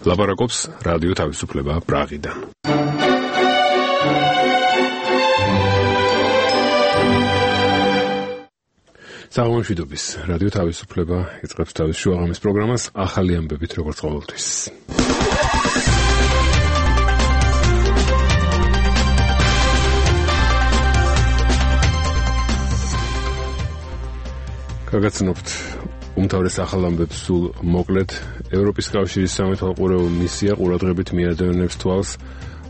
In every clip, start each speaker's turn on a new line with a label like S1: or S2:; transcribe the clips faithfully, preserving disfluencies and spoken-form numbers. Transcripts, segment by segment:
S1: ლაპარაკობს რადიო თავისუფლება პრაღიდან. საღამოშვიდობის რადიო თავისუფლება იწყებს თავის შუაღამის პროგრამას ახალი ამბებით როგორც ყოველთვის. გაგაცნობთ უმთავრეს ახალ ამბებს სულ მოკლედ. ევროპის კავშირის სამეთვალყურეო მისია ყურადღებით მიადევნებს თვალს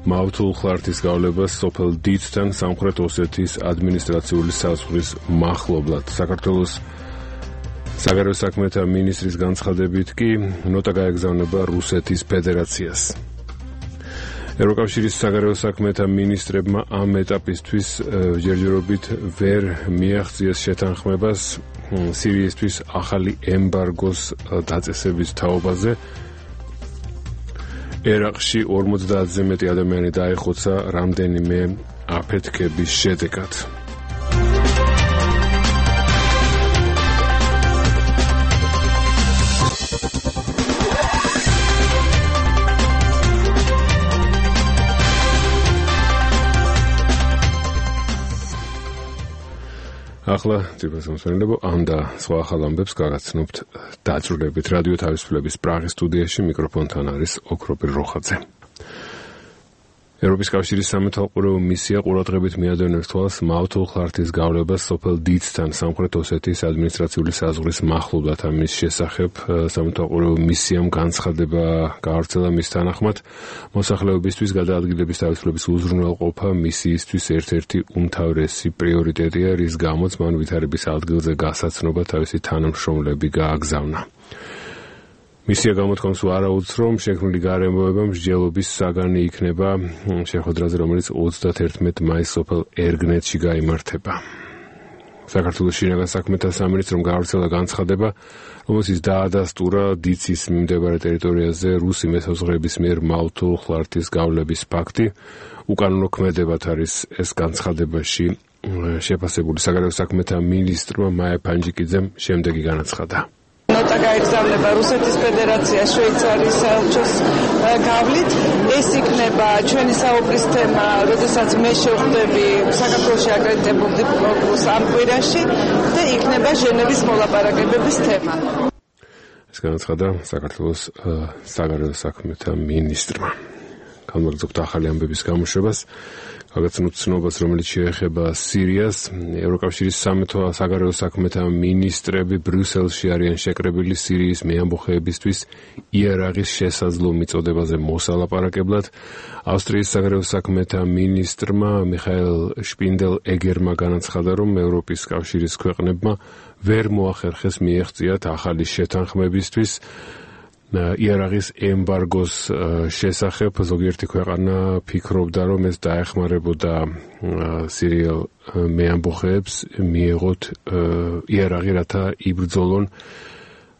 S1: მავთულ ხლართის გავლებას სოფელ დიცთან სამხრეთ ოსეთის ადმინისტრაციული საზღვრის მახლობლად. საქართველოს საგარეო საქმეთა მინისტრის განცხადებით კი ნოტა გაეგზავნება რუსეთის ფედერაციას. ევროკავშირის საგარეო საქმეთა მინისტრებმა ამ ეტაპისთვის ჯერჯერობით ვერ მიაღწიეს შეთანხმებას სირიისთვის ახალი ემბარგოს დაწესების თაობაზე. ერაყში ორმოცდაათზე მეტი ადამიანი დაეხოცა რამდენიმე აფეთქების შედეგად. ახლა ძირფას მომსვენებო ამ და სხვა ახალ ამბებს გაგაცნობთ დაძრულებით რადიო თავისუფლების პრაღის სტუდიაში. მიკროფონთან არის ოქროპირ როხაძე. ევროპის კავშირის სამეთვალყურეო მისია ყურადღებით მიადევნებს თვალს მავთულ ხლართის გავლებას სოფელ დიცთან სამხრეთ ოსეთის ადმინისტრაციული საზღვრის მახლობლად. ამის შესახებ სამეთვალყურეო მისიამ განცხადება გაავრცელა. მის თანახმად მოსახლეობისთვის გადაადგილების თავისუფლების უზრუნველყოფა მისიისთვის ერთ-ერთი უმთავრესი პრიორიტეტია, რის გამოც მან ვითარების ადგილზე გასაცნობა თავისი თანამშრომლები გააგზავნა. მისია გამოთქვამს ვარაუდს, რომ შექმნილი გარემოება მსჯელობის საგანი იქნება შეხვედრაზე, რომელიც ოცდაათერთმეტ მაისს სოფელ ერგნეთში გაიმართება. საქართველოს შინაგან საქმეთა სამინისტრომ გაავრცელა განცხადება, რომელშიც დაადასტურა დიცის მიმდებარე ტერიტორიაზე რუსი მესაზღვრეების მიერ მავთულ ხლართის გავლების ფაქტი. უკანონო ქმედებად არის ეს განცხადებაში შეფასებული. საგარეო საქმეთა მინისტრმა მაია ფანჯიკიძემ შემდეგი განაცხადა.
S2: ნოტა გაეგზავნება რუსეთის ფედერაცია შვეიცარიის საელჩოს გავლით. ეს იქნება ჩვენი საუბრის თემა, როდესაც მე შევხვდები საქართველოში აკრედიტებულ დიპლომატს ამ კვირაში და იქნება ჟენევის მოლაპარაკებების თემა.
S1: ეს განაცხადა საქართველოს საგარეო საქმეთა მინისტრმა. განმაგრძობთ ახალი ამბების გამოშვებას. გაგაცნობთ ცნობას, რომელიც შეეხება სირიას. ევროკავშირის საგარეო საქმეთა მინისტრები ბრიუსელში არიან შეკრებილი სირიის მეამბოხეებისთვის იარაღის შესაძლო მიწოდებაზე მოსალაპარაკებლად. ავსტრიის საგარეო საქმეთა მინისტრმა მიხაელ შპინდელ-ეგერმა განაცხადა, რომ ევროპის კავშირის ქვეყნებმა ვერ მოახერხეს მიეღწიათ ახალი შეთანხმებისთვის იარაღის ემბარგოს შესახებ. ზოგიერთი ქვეყანა ფიქრობდა, რომ ეს დაეხმარებოდა სირიელ მეამბოხეებს მიეღოთ იარაღი, რათა იბრძოლონ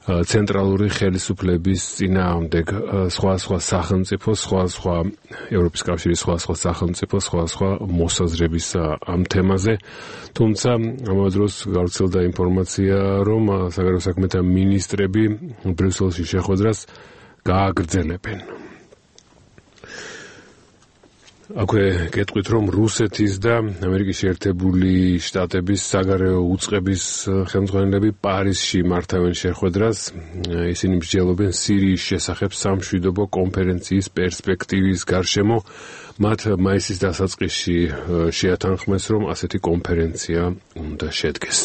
S1: ცენტრალური ხელისუფლების წინააღმდეგ. სხვა სხვა სახელმწიფო, სხვა სხვა ევროპის კავშირის სხვა სხვა სახელმწიფო, სხვა სხვა მოსაზრების ამ თემაზე. თუმცა ამავე დროს გავრცელდა ინფორმაცია, რომ საგარეო საქმეთა მინისტრები ბრიუსელში შეხვედრას გააგრძელებენ. აქვე გეტყვით, რომ რუსეთის და ამერიკის შეერთებული შტატების საგარეო უწყების ხელმძღვანელები პარიზში მართავენ შეხვედრას. ისინი მსჯელობენ სირიის შესახებ სამშვიდობო კონფერენციის პერსპექტივის გარშემო. მათ მაისის დასაწყისში შეათანხმეს, რომ ასეთი კონფერენცია უნდა შედგეს.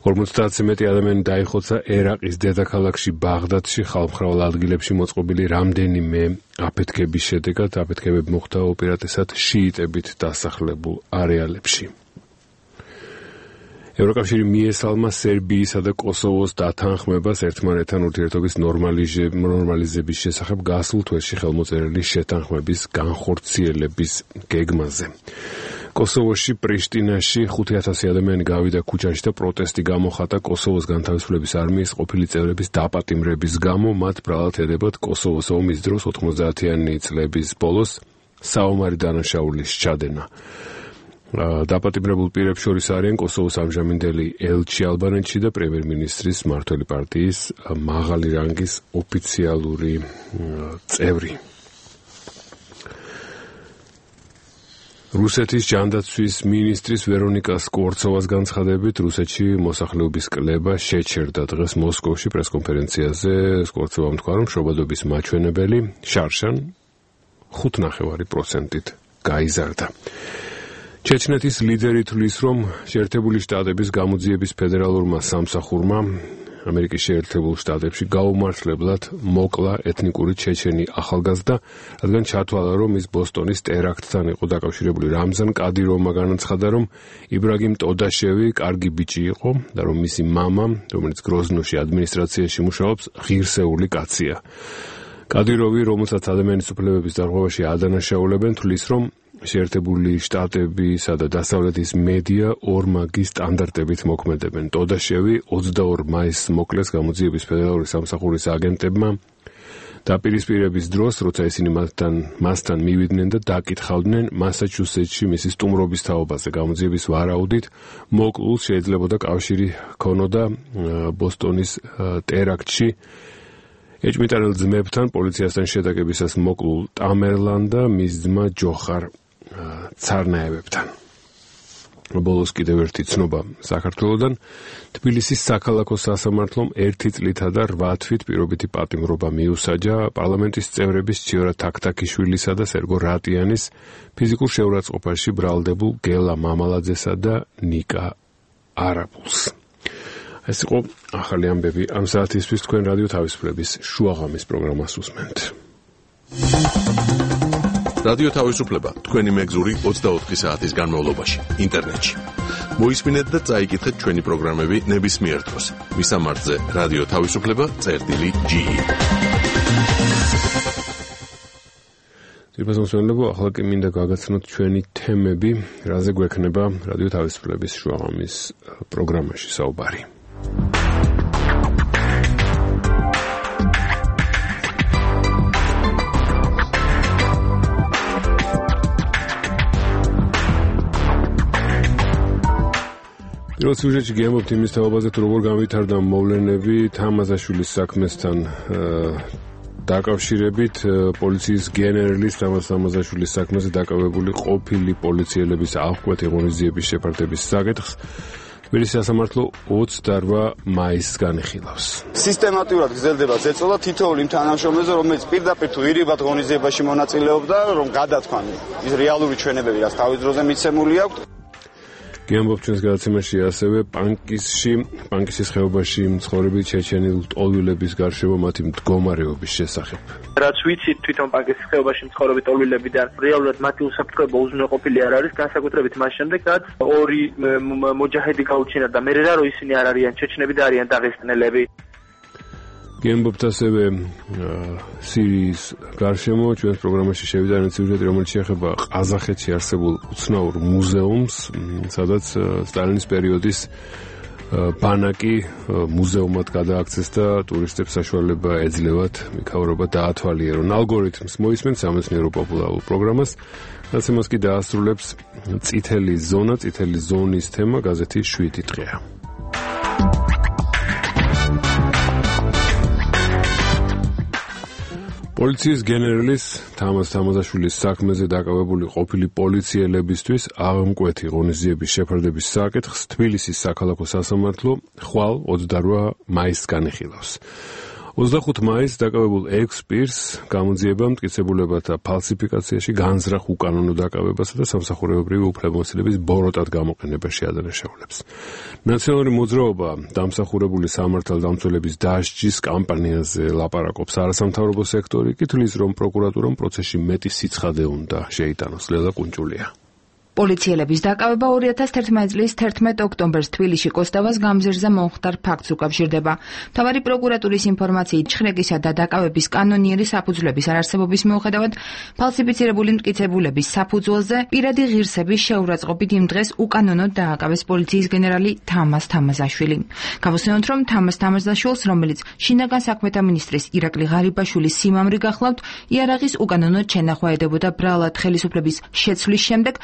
S1: ორმოცდაათზე მეტი ადამიანი დაიხოცა ერაყის დედაქალაქში ბაღდადში ხალხმრავალ ადგილებში მოწყობილი რამდენიმე აფეთქების შედეგად. აფეთქებები მოხდა უპირატესად შიიტებით დასახლებულ არეალებში. ევროკავშირი მიესალმა სერბიისა და კოსოვოს დათანხმებას ერთმანეთთან ურთიერთობის ნორმალიზების შესახებ გასულ თვეში ხელმოწერილი შეთანხმების განხორციელების გეგმაზე. კოსოვოში პრიშტინაში ხუთი ათასი ადამიანი გავიდა ქუჩაში და პროტესტი გამოხატა კოსოვოს განთავისუფლების არმიის ყოფილი წევრების დაპატიმრების გამო. მათ ბრალად ედებათ კოსოვოს ომის დროს ოთხმოცდაათიანი წლების ბოლოს საომარი დანაშაულის ჩადენა. დაპატიმრებულ პირებს შორის არიან კოსოვოს ამჟამინდელი ელჩი ალბანეთში და პრემიერ-მინისტრის მმართველი პარტიის მაღალი რანგის ოფიციალური წევრი. რუსეთის ჯანდაცვის მინისტრის ვერონიკა სკორცოვას განცხადებით, რუსეთში მოსახლეობის კლება შეჩერდა დღეს მოსკოვში პრესკონფერენციაზე. სკორცოვამ თქვა, რომ შობადობის მაჩვენებელი შარშან ხუთ ნახევარი პროცენტით გაიზარდა. ჩეჩნეთის ლიდერი თვლის, რომ შეერთებული შტატების გამოძიების ფედერალურმა სამსახურმა ამერიკის შეერთებულ შტატებში გაუმართლებლად მოკლა ეთნიკური ჩეჩენი ახალგაზრდა, რადგან ჩათვალა, რომ ის ბოსტონის ტერაქტთან იყო დაკავშირებული. რამზან კადიროვმა განაცხადა, რომ იბრაგიმ ტოდაშევი კარგი ბიჭი იყო და რომ მისი მამა, რომელიც გროზნოში ადმინისტრაციაში მუშაობს, ღირსეული კაცია. კადიროვი, რომელსაც ადამიანის უფლებების დარღვევაში ადანაშაულებენ, თვლის, რომ შეერთებული შტატებისა და დასავლეთის მედია ორმაგი სტანდარტებით მოქმედებენ. ტოდაშევი ოცდაორ მაისს მოკლეს გამოძიების ფედერალური სამსახურის აგენტებმა დაპირისპირების დროს, როცა ისინი მასთან მასთან მივიდნენ და დაკითხავდნენ მასაჩუსეტსში მისი სტუმრობის თაობაზე. გამოძიების ვარაუდით მოკლულს შეიძლებოდა კავშირი ჰქონოდა ბოსტონის ტერაქტში ეჭვმიტანილ ძმებთან პოლიციასთან შეტაკებისას მოკლულ ტამერლან და მის ძმა ჯოხარ ცარნაევებთან. ბოლოს კიდევ ერთი ცნობა საქართველოდან. თბილისის საქალაქო სასამართლომ ერთი წლითა და რვა თვით პირობითი პატიმრობა მიუსაჯა პარლამენტის წევრების ჩიორა თაქთაქიშვილისა და სერგო რატიანის ფიზიკურ შეურაცხყოფაში ბრალდებულ გელა მამალაძესა და ნიკა არაბულს. ეს იყო ახალი ამბები ამ საათისთვის. თქვენ რადიო თავისუფლების შუაღამის პროგრამას უსმენთ.
S3: რადიო თავისუფლება თქვენი მეგზური ოცდაოთხი საათის განმავლობაში ინტერნეტში. მოისმინეთ და წაიკითხეთ ჩვენი პროგრამები ნებისმიერ დროს. მისამართზე რადიო თავისუფლება წერტილი ჯი.
S1: ძირფასმოსმენლებო, ახლა კი მინდა გაგაცნოთ ჩვენი თემები, რაზე გვექნება რადიო თავისუფლების შუაღამის პროგრამაში საუბარი. პირველ სიუჟეტში გიამბობთ იმის თაობაზე, თუ როგორ განვითარდა მოვლენები თამაზაშვილის საქმესთან დაკავშირებით. პოლიციის გენერლის თამაზ თამაზაშვილის საქმეზე დაკავებული ყოფილი პოლიციელების აღკვეთი ღონისძიების შეფარდების საკითხს თბილისის სასამართლო ოცდარვა მაისს განიხილავს.
S4: სისტემატურად გრძელდება ზეწოლა თითოეულ იმ თანამშრომელზე, რომელიც პირდაპირ თუ ირიბად ღონისძიებაში მონაწილეობდა, რომ გადათქვან ის რეალური ჩვენებები, რაც თავის დროზე მიცემული აქვს.
S1: გიამბობთ ჩვენს გადაცემაში ასევე პანკისში, პანკისის ხეობაში მცხოვრები ჩეჩენილ ტოლვილების გარშემო მათი მდგომარეობის შესახებ.
S5: რაც ვიცით თვითონ პანკისის ხეობაში მცხოვრები ტოლვილებიდან, რეალურად მათი უსაფრთხოება უზრუნველყოფილი არ არის, განსაკუთრებით მას შემდეგ, რაც ორი მოჯაჰედი გაუჩინა და მე რა რო ისინი არ არიან ჩეჩნები და არიან დაღესტნელები.
S1: გიამბობთ ასევე სირიის გარშემო ჩვენს პროგრამაში შევიდა სიუჟეტი, რომელიც შეეხება ყაზახეთში არსებულ უცნაურ მუზეუმს, სადაც სტალინის პერიოდის ბანაკი მუზეუმად გადააქცეს და ტურისტებს საშუალება ეძლევათ მიქავრობა დაათვალიერონ. ალგორითმს მოისმენთ სამეცნიერო პოპულარულ პროგრამას, გაცემას კი დაასრულებს წითელი ზონა, წითელი ზონის თემა გაზეთი შვიდი დღეა. პოლიციის გენერლის თამაზ თამაზაშვილის საქმეზე დაკავებული ყოფილი პოლიციელებისთვის აღმკვეთი ღონისძიების შეფარდების საკითხს თბილისის საქალაქო სასამართლო ხვალ ოცდარვა მაისს განიხილავს. ოცდახუთ მაისს დაკავებულ ექვს პირს გამოძიება მტკიცებულებათა ფალსიფიკაციაში, განზრახ უკანონო დაკავებასა და სამსახურებრივი უფლებამოსილების ბოროტად გამოყენებაში ადანაშაულებს. ნაციონალური მოძრაობა დამსახურებული სამართალდამცველების დასჯის კამპანიაზე ლაპარაკობს. არასამთავრობო სექტორი კი თვლის, რომ პროკურატურამ პროცესში მეტი სიცხადე უნდა შეიტანოს. ლელა კუნჭულია.
S6: პოლიციელების დაკავება ორი ათას თერთმეტი წლის თერთმეტ ოქტომბერს თბილისში კოსტავას გამზირზე მომხდარ ფაქტს უკავშირდება. მთავარი პროკურატურის ინფორმაციით, ჩხრეკისა და დაკავების კანონიერი საფუძვლების არარსებობის მიუხედავად, ფალსიფიცირებული მტკიცებულების საფუძველზე პირადი ღირსების შეურაცხყოფით იმ დღეს უკანონოდ დააკავეს პოლიციის გენერალი თამაზ თამაზაშვილი. გავუსვენოთ, რომ თამაზ თამაზაშვილს, რომელიც შინაგან საქმეთა მინისტრის ირაკლი ღარიბაშვილის სიმამრი გახლავთ, იარაღის უკანონოდ შენახვა ედებოდა ბრალად ხელისუფლების შეცვლის შემდეგ,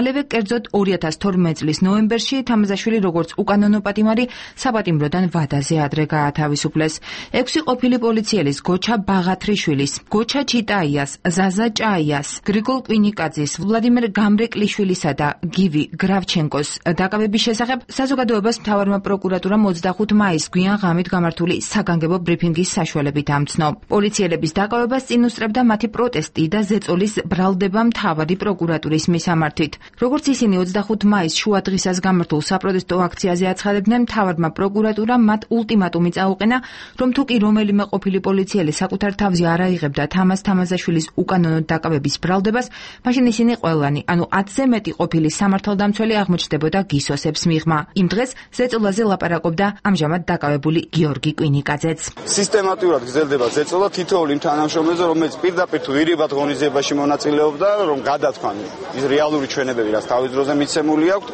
S6: მალევე კერძოდ ორი ათას თორმეტ წლის ნოემბერში თამაზაშვილი როგორც უკანონო პატიმარი საპატიმროდან ვადაზე ადრე გაათავისუფლეს. ექვსი ყოფილი პოლიციელის გოჩა ბაღათრიშვილის, გოჩა ჩიტაიას, ზაზა ჭაიას, გრიგოლ კვინიკაძის, ვლადიმერ გამრეკლიშვილისა და გივი გრავჩენკოს დაკავების შესახებ საზოგადოებას მთავარმა პროკურატურამ ოცდახუთი მაისს გვიან ღამით გამართული საგანგებო ბრიფინგის საშუალებით ამცნო. პოლიციელების დაკავებას წინ უსწრებდა მათი პროტესტი და ზეწოლის ბრალდება მთავარი პროკურატურის მისამართით. როგორც ისინი ოცდახუთი მაისს შუა დღისას გამართულ საპროტესტო აქციაზე აცხადებდნენ, მთავარმა პროკურატურამ მათ ულტიმატუმი წაუყენა, რომ თუ კი რომელიმე ყოფილი პოლიციელი საკუთარ თავზე არ აიღებდა თამაზ თამაზაშვილის უკანონოდ დაკავების ბრალდებას, მაშინ ისინი ყველანი, ანუ ათზე მეტი ყოფილი სამართალდამცველი აღმოჩნდებოდა გისოსებს მიღმა. იმ დღეს ზეწოლაზე ლაპარაკობდა ამჟამად დაკავებული გიორგი კვინიკაძეც.
S4: სისტემატურად გრძელდება ზეწოლა თითოეულ იმ თანამშრომელზე, რომელიც პირდაპირ თუ ირიბად ღონისძიებაში მონაწილეობდა, რომ გადათქვან ის რეალური ჩვენებები, რაც თავის დროზე მიცემული აქვს,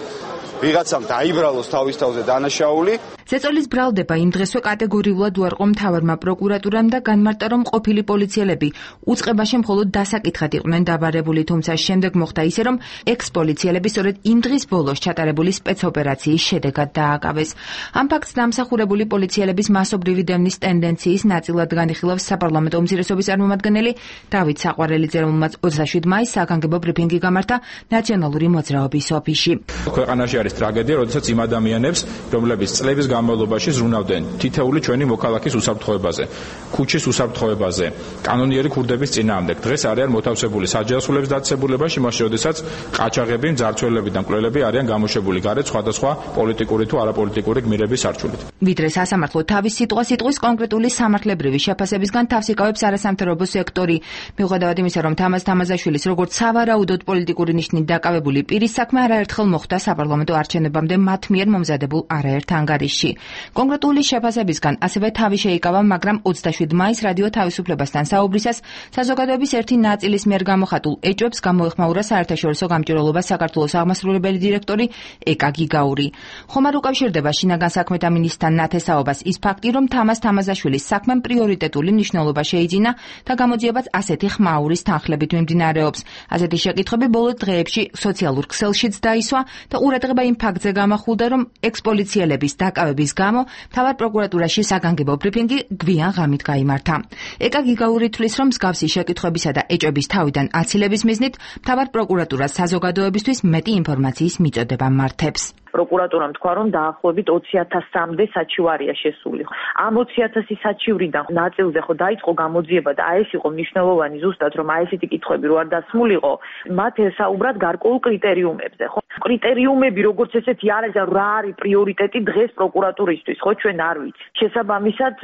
S4: ვიღაცამ დაიბრალოს თავის თავზე დანაშაული.
S6: ზეწოლის ბრალდება იმ დღესვე კატეგორიულად უარყო მთავარმა პროკურატურამ და განმარტა, რომ ყოფილი პოლიციელები უწყებაში მხოლოდ დასაკითხად იყვნენ დაბარებული, თუმცა შემდეგ მოხდა ისე, რომ ექს-პოლიციელები სწორედ იმ დღის ბოლოს ჩატარებული სპეცოპერაციის შედეგად დააკავეს. ამ ფაქტს დამსახურებული პოლიციელების მასობრივი დევნის ტენდენციის ნაწილად განიხილავს საპარლამენტო უმცირესობის წარმომადგენელი დავით საყვარელიძე, რომელმაც ოცდაშვიდ მაისს საგანგებო ბრიფინგი გამართა ნაციონალური მოძრაობის ოფისში.
S7: ქვეყანაში არის ტრაგედია, როდესაც იმ ადამიანებს, რომლებიც წლების განმავლობაში ზრუნავდნენ თითეული ჩვენი მოქალაქის უსაფრთხოებაზე, ქუჩის უსაფრთხოებაზე, კანონიერი ქურდების წინააღმდეგ. დღეს არიან მოთავსებული საჯავსოების დაწესებულებაში, მაშინ როდესაც ყაჩაღები, მძარცველები და მკვლელები არიან გამოშვებული გარეთ სხვადასხვა პოლიტიკური თუ არაპოლიტიკური გმირების სარჩულით.
S6: ვიდრე სასამართლო თავის სიტყვა-სიტყვის კონკრეტული სამართლებრივი შეფასებისგან თავს იკავებს არასამთავრობო სექტორი. მიუხედავად იმისა, რომ თამაზ თამაზაშვილის როგორც სავარაუდოდ პოლიტიკური ნიშნით დაკავებული პირის საქმე არაერთხელ მოხდა საპარლამენტო არჩევნებამდე მათ მიერ მომზადებულ არაერთ ანგარიშში. კონკრეტული შეფასებისგან ასევე თავი შეიკავა, მაგრამ ოცდაშვიდ მაისს რადიო თავისუფლებასთან საუბრისას საზოგადოების ერთი ნაწილის მიერ გამოხატულ ეჭვებს გამოეხმაურა საერთაშორისო გამჭვირვალობას საქართველოს აღმასრულებელი დირექტორი ეკა გიგაური. ხომ არ უკავშირდება შინაგან საქმეთა მინისტრთან ნათესაობას ის ფაქტი, რომ თამაზ თამაზაშვილის საქმემ პრიორიტეტული მნიშვნელობა შეიძინა და გამოძიებაც ასეთი ხმაურის თანხლებით მიმდინარეობს. ასეთი შეკითხვები ბოლო დღეებში სოციალურ ქსელშიც დაისვა და ყურადღება იმ ფაქტზე გამახულდა, რომ ექს-პოლიციელების დაკავების გამო მთავარ პროკურატურაში საგანგებო ბრიფინგი გვიან ღამით გაიმართა. ეკა გიგაური თვლის, რომ მსგავსი შეკითხვებისა და ეჭვების თავიდან აცილების მიზნით მთავარ პროკურატურას საზოგადოებისთვის მეტი ინფორმაციის მიწოდება მართებს.
S8: პროკურატურამ თქვა, რომ დაახლოებით ოცი ათასამდე საჩივარია შესული. ამ ოცი ათასი საჩივრიდან ნაწილზე ხო დაიწყო გამოძიება და აი ეს იყო მნიშვნელოვანი ზუსტად, რომ აი ესეთი კითხვები რო არ დასმულიყო, მათ ესაუბრათ გარკვეულ კრიტერიუმებზე, ხო? კრიტერიუმები როგორც ესეთი არის, რა არის პრიორიტეტი დღეს პროკურატურისთვის, ხო, ჩვენ არ ვიცით. შესაბამისად,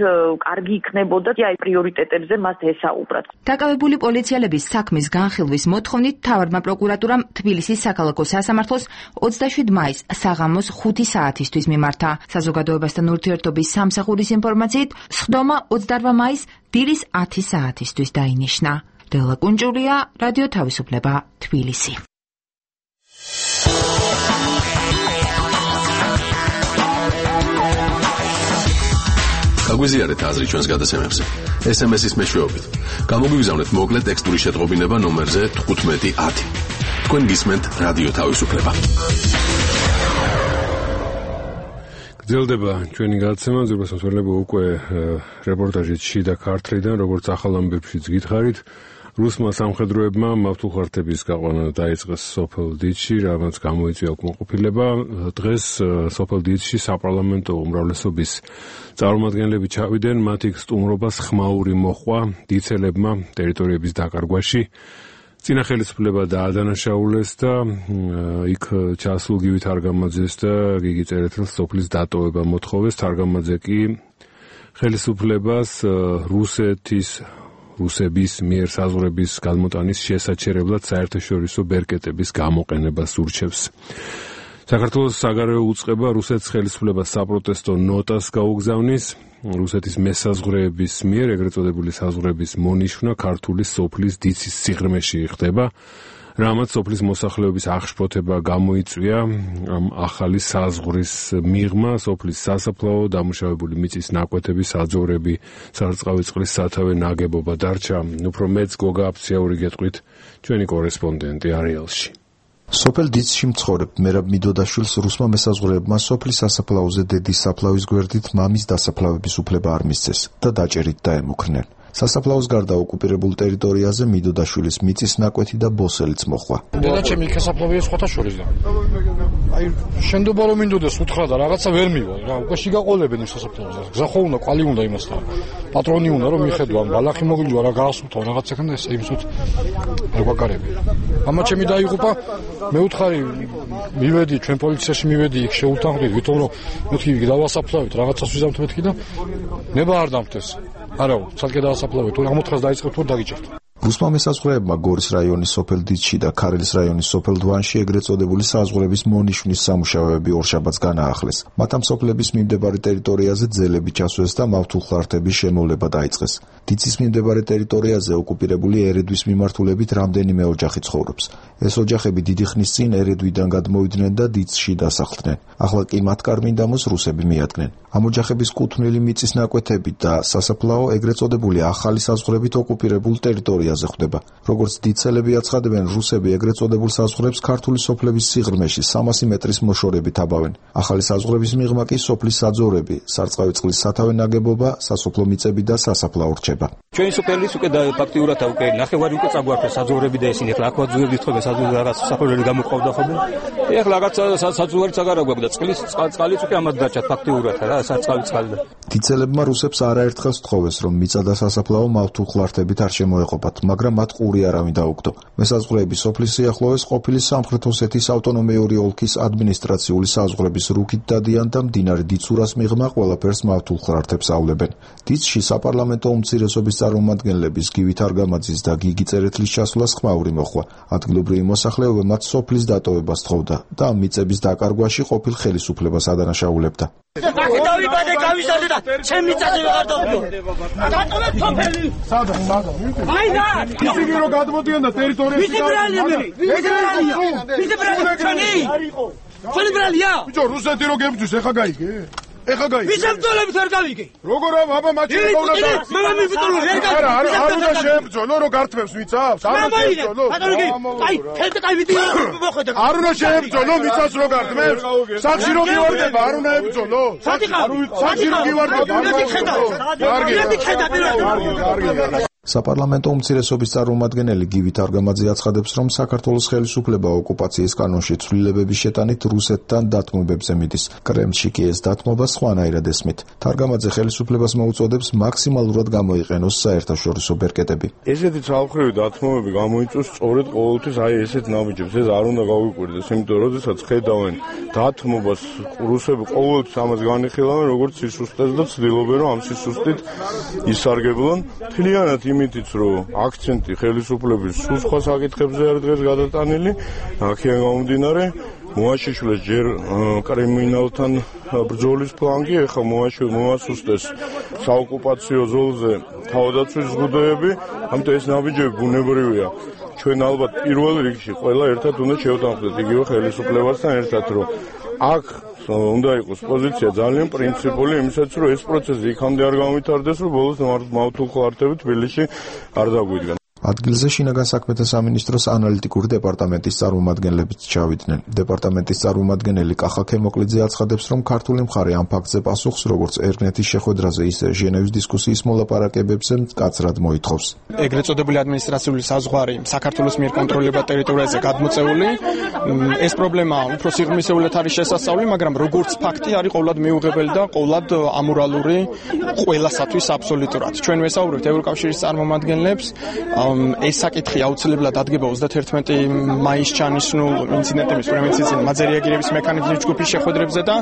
S8: კარგი იქნებოდა აი პრიორიტეტებზე მას ესაუბრათ.
S6: დაკავებული პოლიციელების საქმის განხილვის მოთხოვნით მთავარმა პროკურატურამ თბილისის საქალაქო სასამართლოს ოცდაშვიდ მაისს საღამოს ხუთი საათისთვის მიმართა. საზოგადოებასთან ურთიერთობის სამსახურის ინფორმაციით, სხდომა ოცდაოთხ მაისს დილის ათი საათისთვის დაინიშნა. დელა კუნჭურია, რადიო თავისუფლება, თბილისი.
S3: გაგვიზიარეთ აზრი ჩვენს გადაცემებზე. ეს ემ ეს-ის მეშვეობით. გამოგვიგზავნეთ მოკლე ტექსტური შეტყობინება ნომერზე თხუთმეტი ათი. თქვენ გისმენთ რადიო თავისუფლება.
S1: გრძელდება ჩვენი გადაცემა, ზურბას მოსვლება უკვე რეპორტაჟით შიდა ქართლიდან, როგორც ახალ ამბებშიც გითხარით. რუსმა სამხედროებმა მავთულხართების გაყვანა დაიწყეს სოფელ დიცში, რამაც გამოიწვია უკმაყოფილება. დღეს სოფელ დიცში საპარლამენტო უმრავლესობის წარმომადგენლები ჩავიდნენ, მათ იქ სტუმრობას ხმაური მოჰყვა დიცელებმა ტერიტორიების დაკარგვაში. წინა ხელისუფლება დაადანაშაულეს და იქ ჩასულ გივი თარგამაძეს და გიგი წერეთელს სოფლის დატოვება მოთხოვეს. თარგამაძე კი ხელისუფლებას რუსეთის რუსების მიერ საზღვრების გადმოტანის შესაჩერებლად საერთაშორისო ბერკეტების გამოყენებას ურჩევს. საქართველოს საგარეო უწყება რუსეთის ხელისუფლებას საპროტესტო ნოტას გაუგზავნის. რუსეთის მესაზღვრეების მიერ ეგრეთ წოდებული საზღვრების მონიშვნა ქართული სოფლის დიცის სიღრმეში ხდება, რამაც სოფლის მოსახლეობის აღშფოთება გამოიწვია. ამ ახალი საზღვრის მიღმა სოფლის სასაფლაო, დამუშავებული მიწის ნაკვეთები, საძოვრები, სარწყავი წყლის სათავე ნაგებობა დარჩა. უფრო მეც გოგა აფციაური გეტყვით ჩვენი კორესპონდენტი არეალში.
S9: სოფელ დიცში მცხოვრებ მერაბ მიდოდაშვილს რუსმა მესაზღვრეებმა სოფლის სასაფლაოზე დედის საფლავის გვერდით მამის დასაფლავების უფლება არ მისცეს და დაჭერით დაემუქრნენ. სასაფლაოს გარდა ოკუპირებულ ტერიტორიაზე მიდოდაშვილის მიწის ნაკვეთი და ბოსელიც მოხვა.
S10: დედაჩემი იქ სასაფლავია სხვათა შორის და აი შენდობა რომ მინდოდეს უთხრა და რაღაცა ვერ მივა რა უკვე შიგაყოლებენ იმ სასაფლაოზე. გზა ხო უნდა, კვალი უნდა იმასთან. პატრონი უნდა რომ მიხედვა, ბალახი მოგიჯვა რა გაასულთავ რაღაცა ქონდა ეს იმსუთ არ გვაკარები. ამა ჩემი დაიღუპა მე უთხარი მივედი ჩვენ პოლიციაში მივედი იქ შეუთანხმდით ვითომ რომ მეთქი დავასაფლავით რაღაცას ვიზამთ მეთქი და ნება არ დამთეს. არა, ცალკე დაასაფლავეთ, თუ აღმოთხას დაიწყებთ თუ დაგიჭერთ.
S9: რუსმა მესაზღვრეებმა გორის რაიონის სოფელ დიცში და ქარელის რაიონის სოფელ დვანში ეგრეთ წოდებული საზღვრების მონიშნის სამუშაოები ორშაბათს განაახლეს. მათ ამ სოფლების მიმდებარე ტერიტორიაზე ძელები ჩასვეს და მავთულხლართების შემოვლება დაიწყეს. დიცის მიმდებარე ტერიტორიაზე ოკუპირებული ერედვის მიმართულებით რამდენიმე ოჯახი ცხოვრობს. ეს ოჯახები დიდი ხნის წინ ერედვიდან გადმოვიდნენ და დიცში დასახლდნენ. ახლა კი მათ კარ-მინდამოს რუსები მიადგნენ. ამ ოჯახების კუთვნილი მიწის ნაკვეთები და სასაფლაო ეგრეთ წოდებული ახალი საზღვრებით ოკუპირებულ ტერიტორიაზე ხვდება. როგორც დიცელები აცხადებენ, რუსები ეგრეთ წოდებულ საზღვრებს ქართული სოფლების სიღრმეში სამასი მეტრის მოშორებით აბავენ. ახალი საზღვრების მიღმა კი სოფლის საძოვრები, სარწყავი წყლის სათავე ნაგებობა, სასოფლო მიწები და სასაფლაო რჩება.
S11: ჩვენი სოფლის უკვე და ფაქტიურად უკვე ნახევარი უკვე წაგვარდა საძოვრები და ისინი ახლა აქვე ძუებდით ხოლმე საძოვრები რაღაც საფლავები გამოყავდა ხოლმე. ეხლა რაღაც საძოვრებიც აღარ აქვს და წყლის წყალიც უკვე ამად დაჭათ ფაქტიურად რა საწყავი წყალი.
S9: დიცელებმა რუსებს არაერთხელ სთხოვეს, რომ მიწა და სასაფლაო მავთულხლართებით არ შემოეყოფათ, მაგრამ მათ ყური არავინ დაუგდო. მესაზღვრეები სოფლის სიახლოვეს ყოფილი სამხრეთ ოსეთის ავტონომიური ოლქის ადმინისტრაციული საზღვრების რუქით დადიან და მდინარე დიცურას მიღმა ყველაფერს მავთულხლართებს ავლებენ. დიცში საპარლამენტო უმცირესობის წარმომადგენლების გივი თარგამაძის და გიგი წერეთლის ჩასვლას ხმაური მოხვა. ადგილობრივი მოსახლეობა მათ სოფლის დატოვებას თხოვდა და ამ მიწების დაკარგვაში ყოფილ ხელისუფლებას ადანაშაულებდა.
S12: დავიბადე გავიზარდე და ჩემი მიწაზე ვეღარ დავდო. დატოვეთ სოფელი. სადა, სადა. აი და ისინი რომ გადმოდიან და ტერიტორიაზე ვისი ბრალია მე? ვისი ბრალია? ვისი ბრალია ჩვენი? ჩვენი ბრალია? ბიჭო, რუსეთი რო გებძვის, ეხა გაიგე? ეხა გაიგე? ვისი ბრძოლებით არ გავიგე? როგორ აბა მაჩი ყავდა და მე მიბრძოლო ვერ გავიგე. არა, არა, არ უნდა შეებრძოლო, რო გართმევს მიწავს. არ უნდა შეებრძოლო. აი, ხელთ კაი ვიდი მოხედა. არ უნდა შეებრძოლო, მიწას რო გართმევს. სახში რო გივარდება, არ უნდა ებრძოლო. სახში რო გივარდება, არ უნდა ებრძოლო. კარგი, კარგი.
S9: საპარლამენტო უმცირესობის წარმომადგენელი გივი თარგამაძე აცხადებს, რომ საქართველოს ხელისუფლება ოკუპაციის კანონში ცვლილებების შეტანით რუსეთთან დათმობებზე მიდის. კრემლში კი ეს დათმობა სხვანაირად ესმით. თარგამაძე ხელისუფლებას მოუწოდებს მაქსიმალურად გამოიყენოს საერთაშორისო ბერკეტები.
S13: ესეთი ცალმხრივი დათმობები გამოიწვევს სწორედ ყოველთვის აი ესეთ ნაბიჯებს. ეს არ უნდა გავიკვირდეს, იმიტომ რომ როდესაც ხედავენ დათმობას, რუსები ყოველთვის ამას განიხილავენ როგორც სისუსტეს და ცდილობენ რომ ამ სისუსტით ისარგებლონ. თლიანად იმითიც რომ აქცენტი ხელისუფლების სულ სხვა საკითხებზე არის დღეს გადატანილი, აქედან გამომდინარე მოაშიშვლეს ჯერ კრიმინალთან ბრძოლის ფლანგი, ეხლა მოასუსტეს საოკუპაციო ზოლზე თავდაცვის ზღუდეები, ამიტომ ეს ნაბიჯები ბუნებრივია. ჩვენ ალბათ პირველ რიგში ყველა ერთად უნდა შევთანხმდეთ იგივე ხელისუფლებასთან ერთად, რომ აქ უნდა იყოს პოზიცია ძალიან პრინციპული იმისაც, რომ ეს პროცესი იქამდე არ გამვითარდეს, რომ ბოლოს მავთულხლართები თბილისში არ დაგვიდგან.
S9: ადგილზე შინაგან საქმეთა სამინისტროს ანალიტიკური დეპარტამენტის წარმომადგენლებიც ჩავიდნენ. დეპარტამენტის წარმომადგენელი კახა ქემოკლიძე აცხადებს, რომ ქართული მხარე ამ ფაქტზე პასუხს, როგორც ერგნეთის შეხვედრაზე, ისე ჟენევის დისკუსიის მოლაპარაკებებზე მკაცრად მოითხოვს.
S14: ეგრეთ წოდებული ადმინისტრაციული საზღვარი საქართველოს მიერ კონტროლირებულ ტერიტორიაზე გადმოწეული. ეს პრობლემა უფრო სიღრმისეულად არის შესასწავლი, მაგრამ როგორც ფაქტი არის ყოვლად მიუღებელი და ყოვლად ამორალური ყველასათვის აბსოლუტურად. ჩვენ ვესაუბრებთ ევროკავშირის წარმომადგენლებს, ეს საკითხი აუცილებლად ადგება ოცდაათერთმეტი მაისს ჩანიშნულ ინციდენტების პრევენციის მაზერიაგირების მექანიზმის ჯგუფის შეხვედრებზე და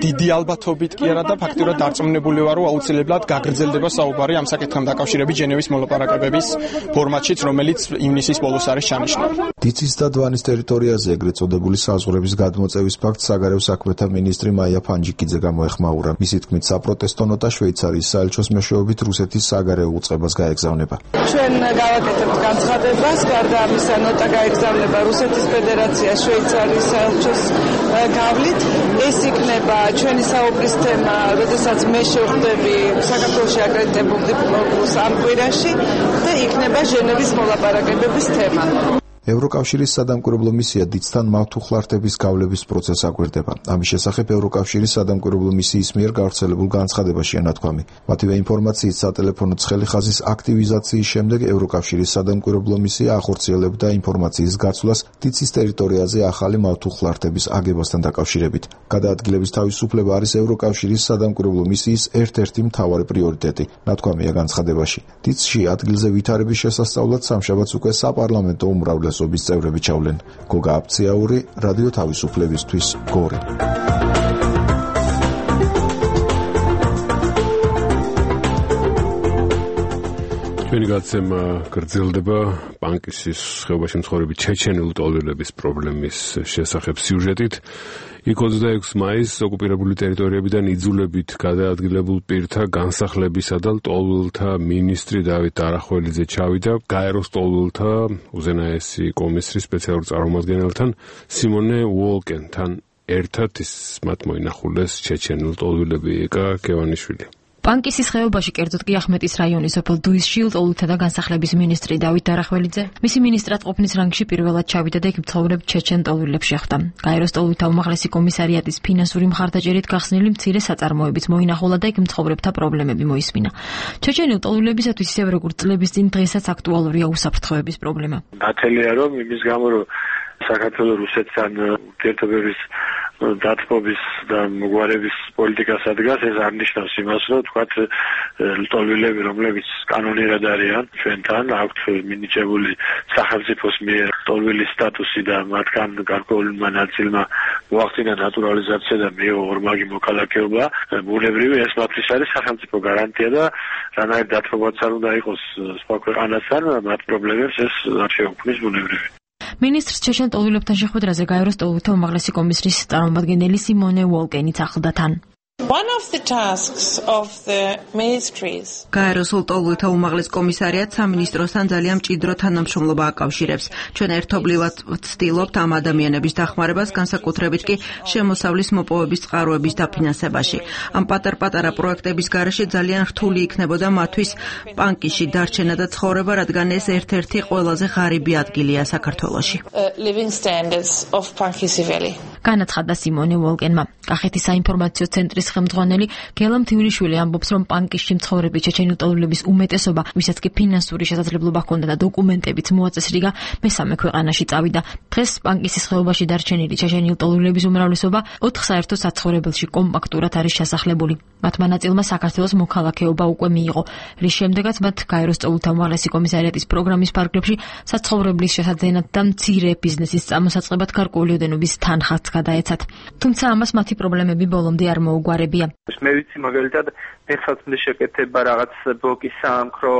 S14: დიდი ალბათობით კი არა და ფაქტურად დარწმუნებული ვარ, რომ აუცილებლად გაგრძელდება საუბარი ამ საკითხთან დაკავშირებით ჟენევის მოლაპარაკებების ფორმატშიც, რომელიც ივნისის ბოლოს არის ჩანიშნული.
S9: დიცის და დვანის ტერიტორიაზე ეგრეთ წოდებული საზღვრების გადმოწევის ფაქტს საგარეო საქმეთა მინისტრი მაია ფანჯიკიძე გამოეხმაურა. მისი თქმით, საპროტესტო ნოტა შვეიცარიის საელჩოს მეშვეობით რუსეთის საგარეო უწყებას გაეგზავნება.
S2: ჩვენ გავაკეთებთ განცხადებას, გარდა ამისა ნოტა გაეგზავნება რუსეთის ფედერაციას შვეიცარიის საელჩოს გავლით. ეს იქნება ჩვენი საუბრის თემა, როდესაც მე შევხვდები საქართველოში აკრედიტებულ დიპლომატს ამ კვირაში და იქნება ჟენევის მოლაპარაკებების თემა.
S9: ევროკავშირის სადამკვირვებლო მისია დიდთან მავთუხლართების გავლების პროცესს აგვირდება. ამის შესახებ ევროკავშირის სადამკვირვებლო მისიის მიერ გავრცელებულ განცხადებაშია ნათქვამი. მათივე ინფორმაციით, სატელეფონო ცხელი ხაზის აქტივიზაციის შემდეგ ევროკავშირის სადამკვირვებლო მისია ახორციელებდა ინფორმაციის გაცვლას დიცის ტერიტორიაზე ახალი მავთუხლართების აგებასთან დაკავშირებით. გადაადგილების თავისუფლება არის ევროკავშირის სადამკვირვებლო მისიის ერთ-ერთი მთავარი პრიორიტეტი, ნათქვამია განცხადებაში. დიცში ადგილზე ვითარების შესასწავლად სამშაბათს უკვე საპარლამენტო უმრავლესობის წევრები ჩავლენ. გოგა აფციაური, რადიო თავისუფლებისთვის, გორი.
S1: ჩვენი გაცემა გრძელდება პანკისის ხეობაში მცხოვრები ჩეჩენელი ტოლვილების პრობლემის შესახებ სიუჟეტით. იქ ოცდაექვსი მაისს ოკუპირებული ტერიტორიებიდან იძულებით გადაადგილებულ პირთა განსახლებისა და ტოლვილთა მინისტრი დავით არახველიძე ჩავიდა გაეროს ტოლვილთა უზენაესი კომისრის სპეციალურ წარმომადგენელთან სიმონე უოლკენთან ერთად ის მათ მოინახულეს ჩეჩენელი ტოლვილები ეკა კევანიშვილი.
S15: პანკისის ხეობაში, კერძოდ კი ახმეტის რაიონის სოფელ დუისში ტოლვილთა და განსახლების მინისტრი დავით არახველიძე მისი მინისტრად ყოფნის რანგში პირველად ჩავიდა და იქ მცხოვრებ ჩეჩენ ტოლვილებს შეხვდა. გაეროს ტოლვილთა უმაღლესი კომისარიატის ფინანსური მხარდაჭერით გახსნილი მცირე საწარმოებიც მოინახულა და იქ მცხოვრებთა პრობლემები მოისმინა. ჩეჩენელ ტოლვილებისათვის ისევე როგორც წლების წინ დღესაც აქტუალურია უსაფრთხოების პრობლემა.
S5: დათელია რომ იმის გამო რომ საქართველოს რუსეთთან ურთიერთობების დათბობის და მოგვარების პოლიტიკას ადგას, ეს არ ნიშნავს იმას, რომ თქვათ ტოლვილები, რომლებიც კანონიერად არიან ჩვენთან, აქვთ მინიჭებული სახელმწიფოს მიერ ტოლვილის სტატუსი და მათგან გარკვეულმა ნაწილმა მოახდინა ნატურალიზაცია და მიიღო ორმაგი მოქალაქეობა, ბუნებრივი ეს მათთვის არის სახელმწიფო გარანტია და რანაირ დათბობაც არ უნდა იყოს სხვა ქვეყანასთან, მათ პრობლემებს ეს არ შეუქმნის ბუნებრივი.
S15: მინისტრს ჩეჩენ ტოლვილებთან შეხვედრაზე გაეროს ტოლვილთა უმაღლესი კომისრის წარმომადგენელი სიმონე უოლკენიც ახლდა თან.
S16: One of the tasks of the ministries
S17: გაეროს ტოლვილთა უმაღლეს კომისარიატს სამინისტროსთან ძალიან მჭიდრო თანამშრომლობა აკავშირებს. ჩვენ ერთობლივად ვცდილობთ ამ ადამიანების დახმარებას, განსაკუთრებით კი შემოსავლის მოპოვების წყაროების დაფინანსებაში. ამ პატარ-პატარა პროექტების გარეშე ძალიან რთული იქნებოდა მათთვის პანკისში დარჩენა და ცხოვრება, რადგან ეს ერთ-ერთი ყველაზე ღარიბი ადგილია საქართველოში.
S16: living standards of Pankisi Valley.
S15: განაცხადა სიმონე უოლკენმა. კახეთის საინფორმაციო ცენტრის ხელმძღვანელი გელა მთიულიშვილი ამბობს, რომ პანკისში მცხოვრები ჩეჩენელი ტოლვილების უმეტესობა, ვისაც კი ფინანსური შესაძლებლობა ჰქონდა და დოკუმენტებიც მოაწესრიგა, მესამე ქვეყანაში წავიდა. დღეს პანკისის ხეობაში დარჩენილი ჩეჩენელი ტოლვილების უმრავლესობა ოთხ საერთო საცხოვრებელში კომპაქტურად არის შესახლებული. მათმა ნაწილმა საქართველოს მოქალაქეობა უკვე მიიღო, რის შემდეგაც მათ გაეროს ტოლვილთა უმაღლესი კომისარიატის პროგრამის ფარგლებში საცხოვრებლის შესაძენად და მცირე ბიზნესის წამოსაწყებად გარკვეული ოდენობის თანხაც გადაეცათ. თუმცა ამას მათი პრობლემები ბოლომდე არ მოუგვარებია.
S5: მე ვიცი მაგალითად მეხსაცმლე შეკეთება რაღაც ბლოკის საამქრო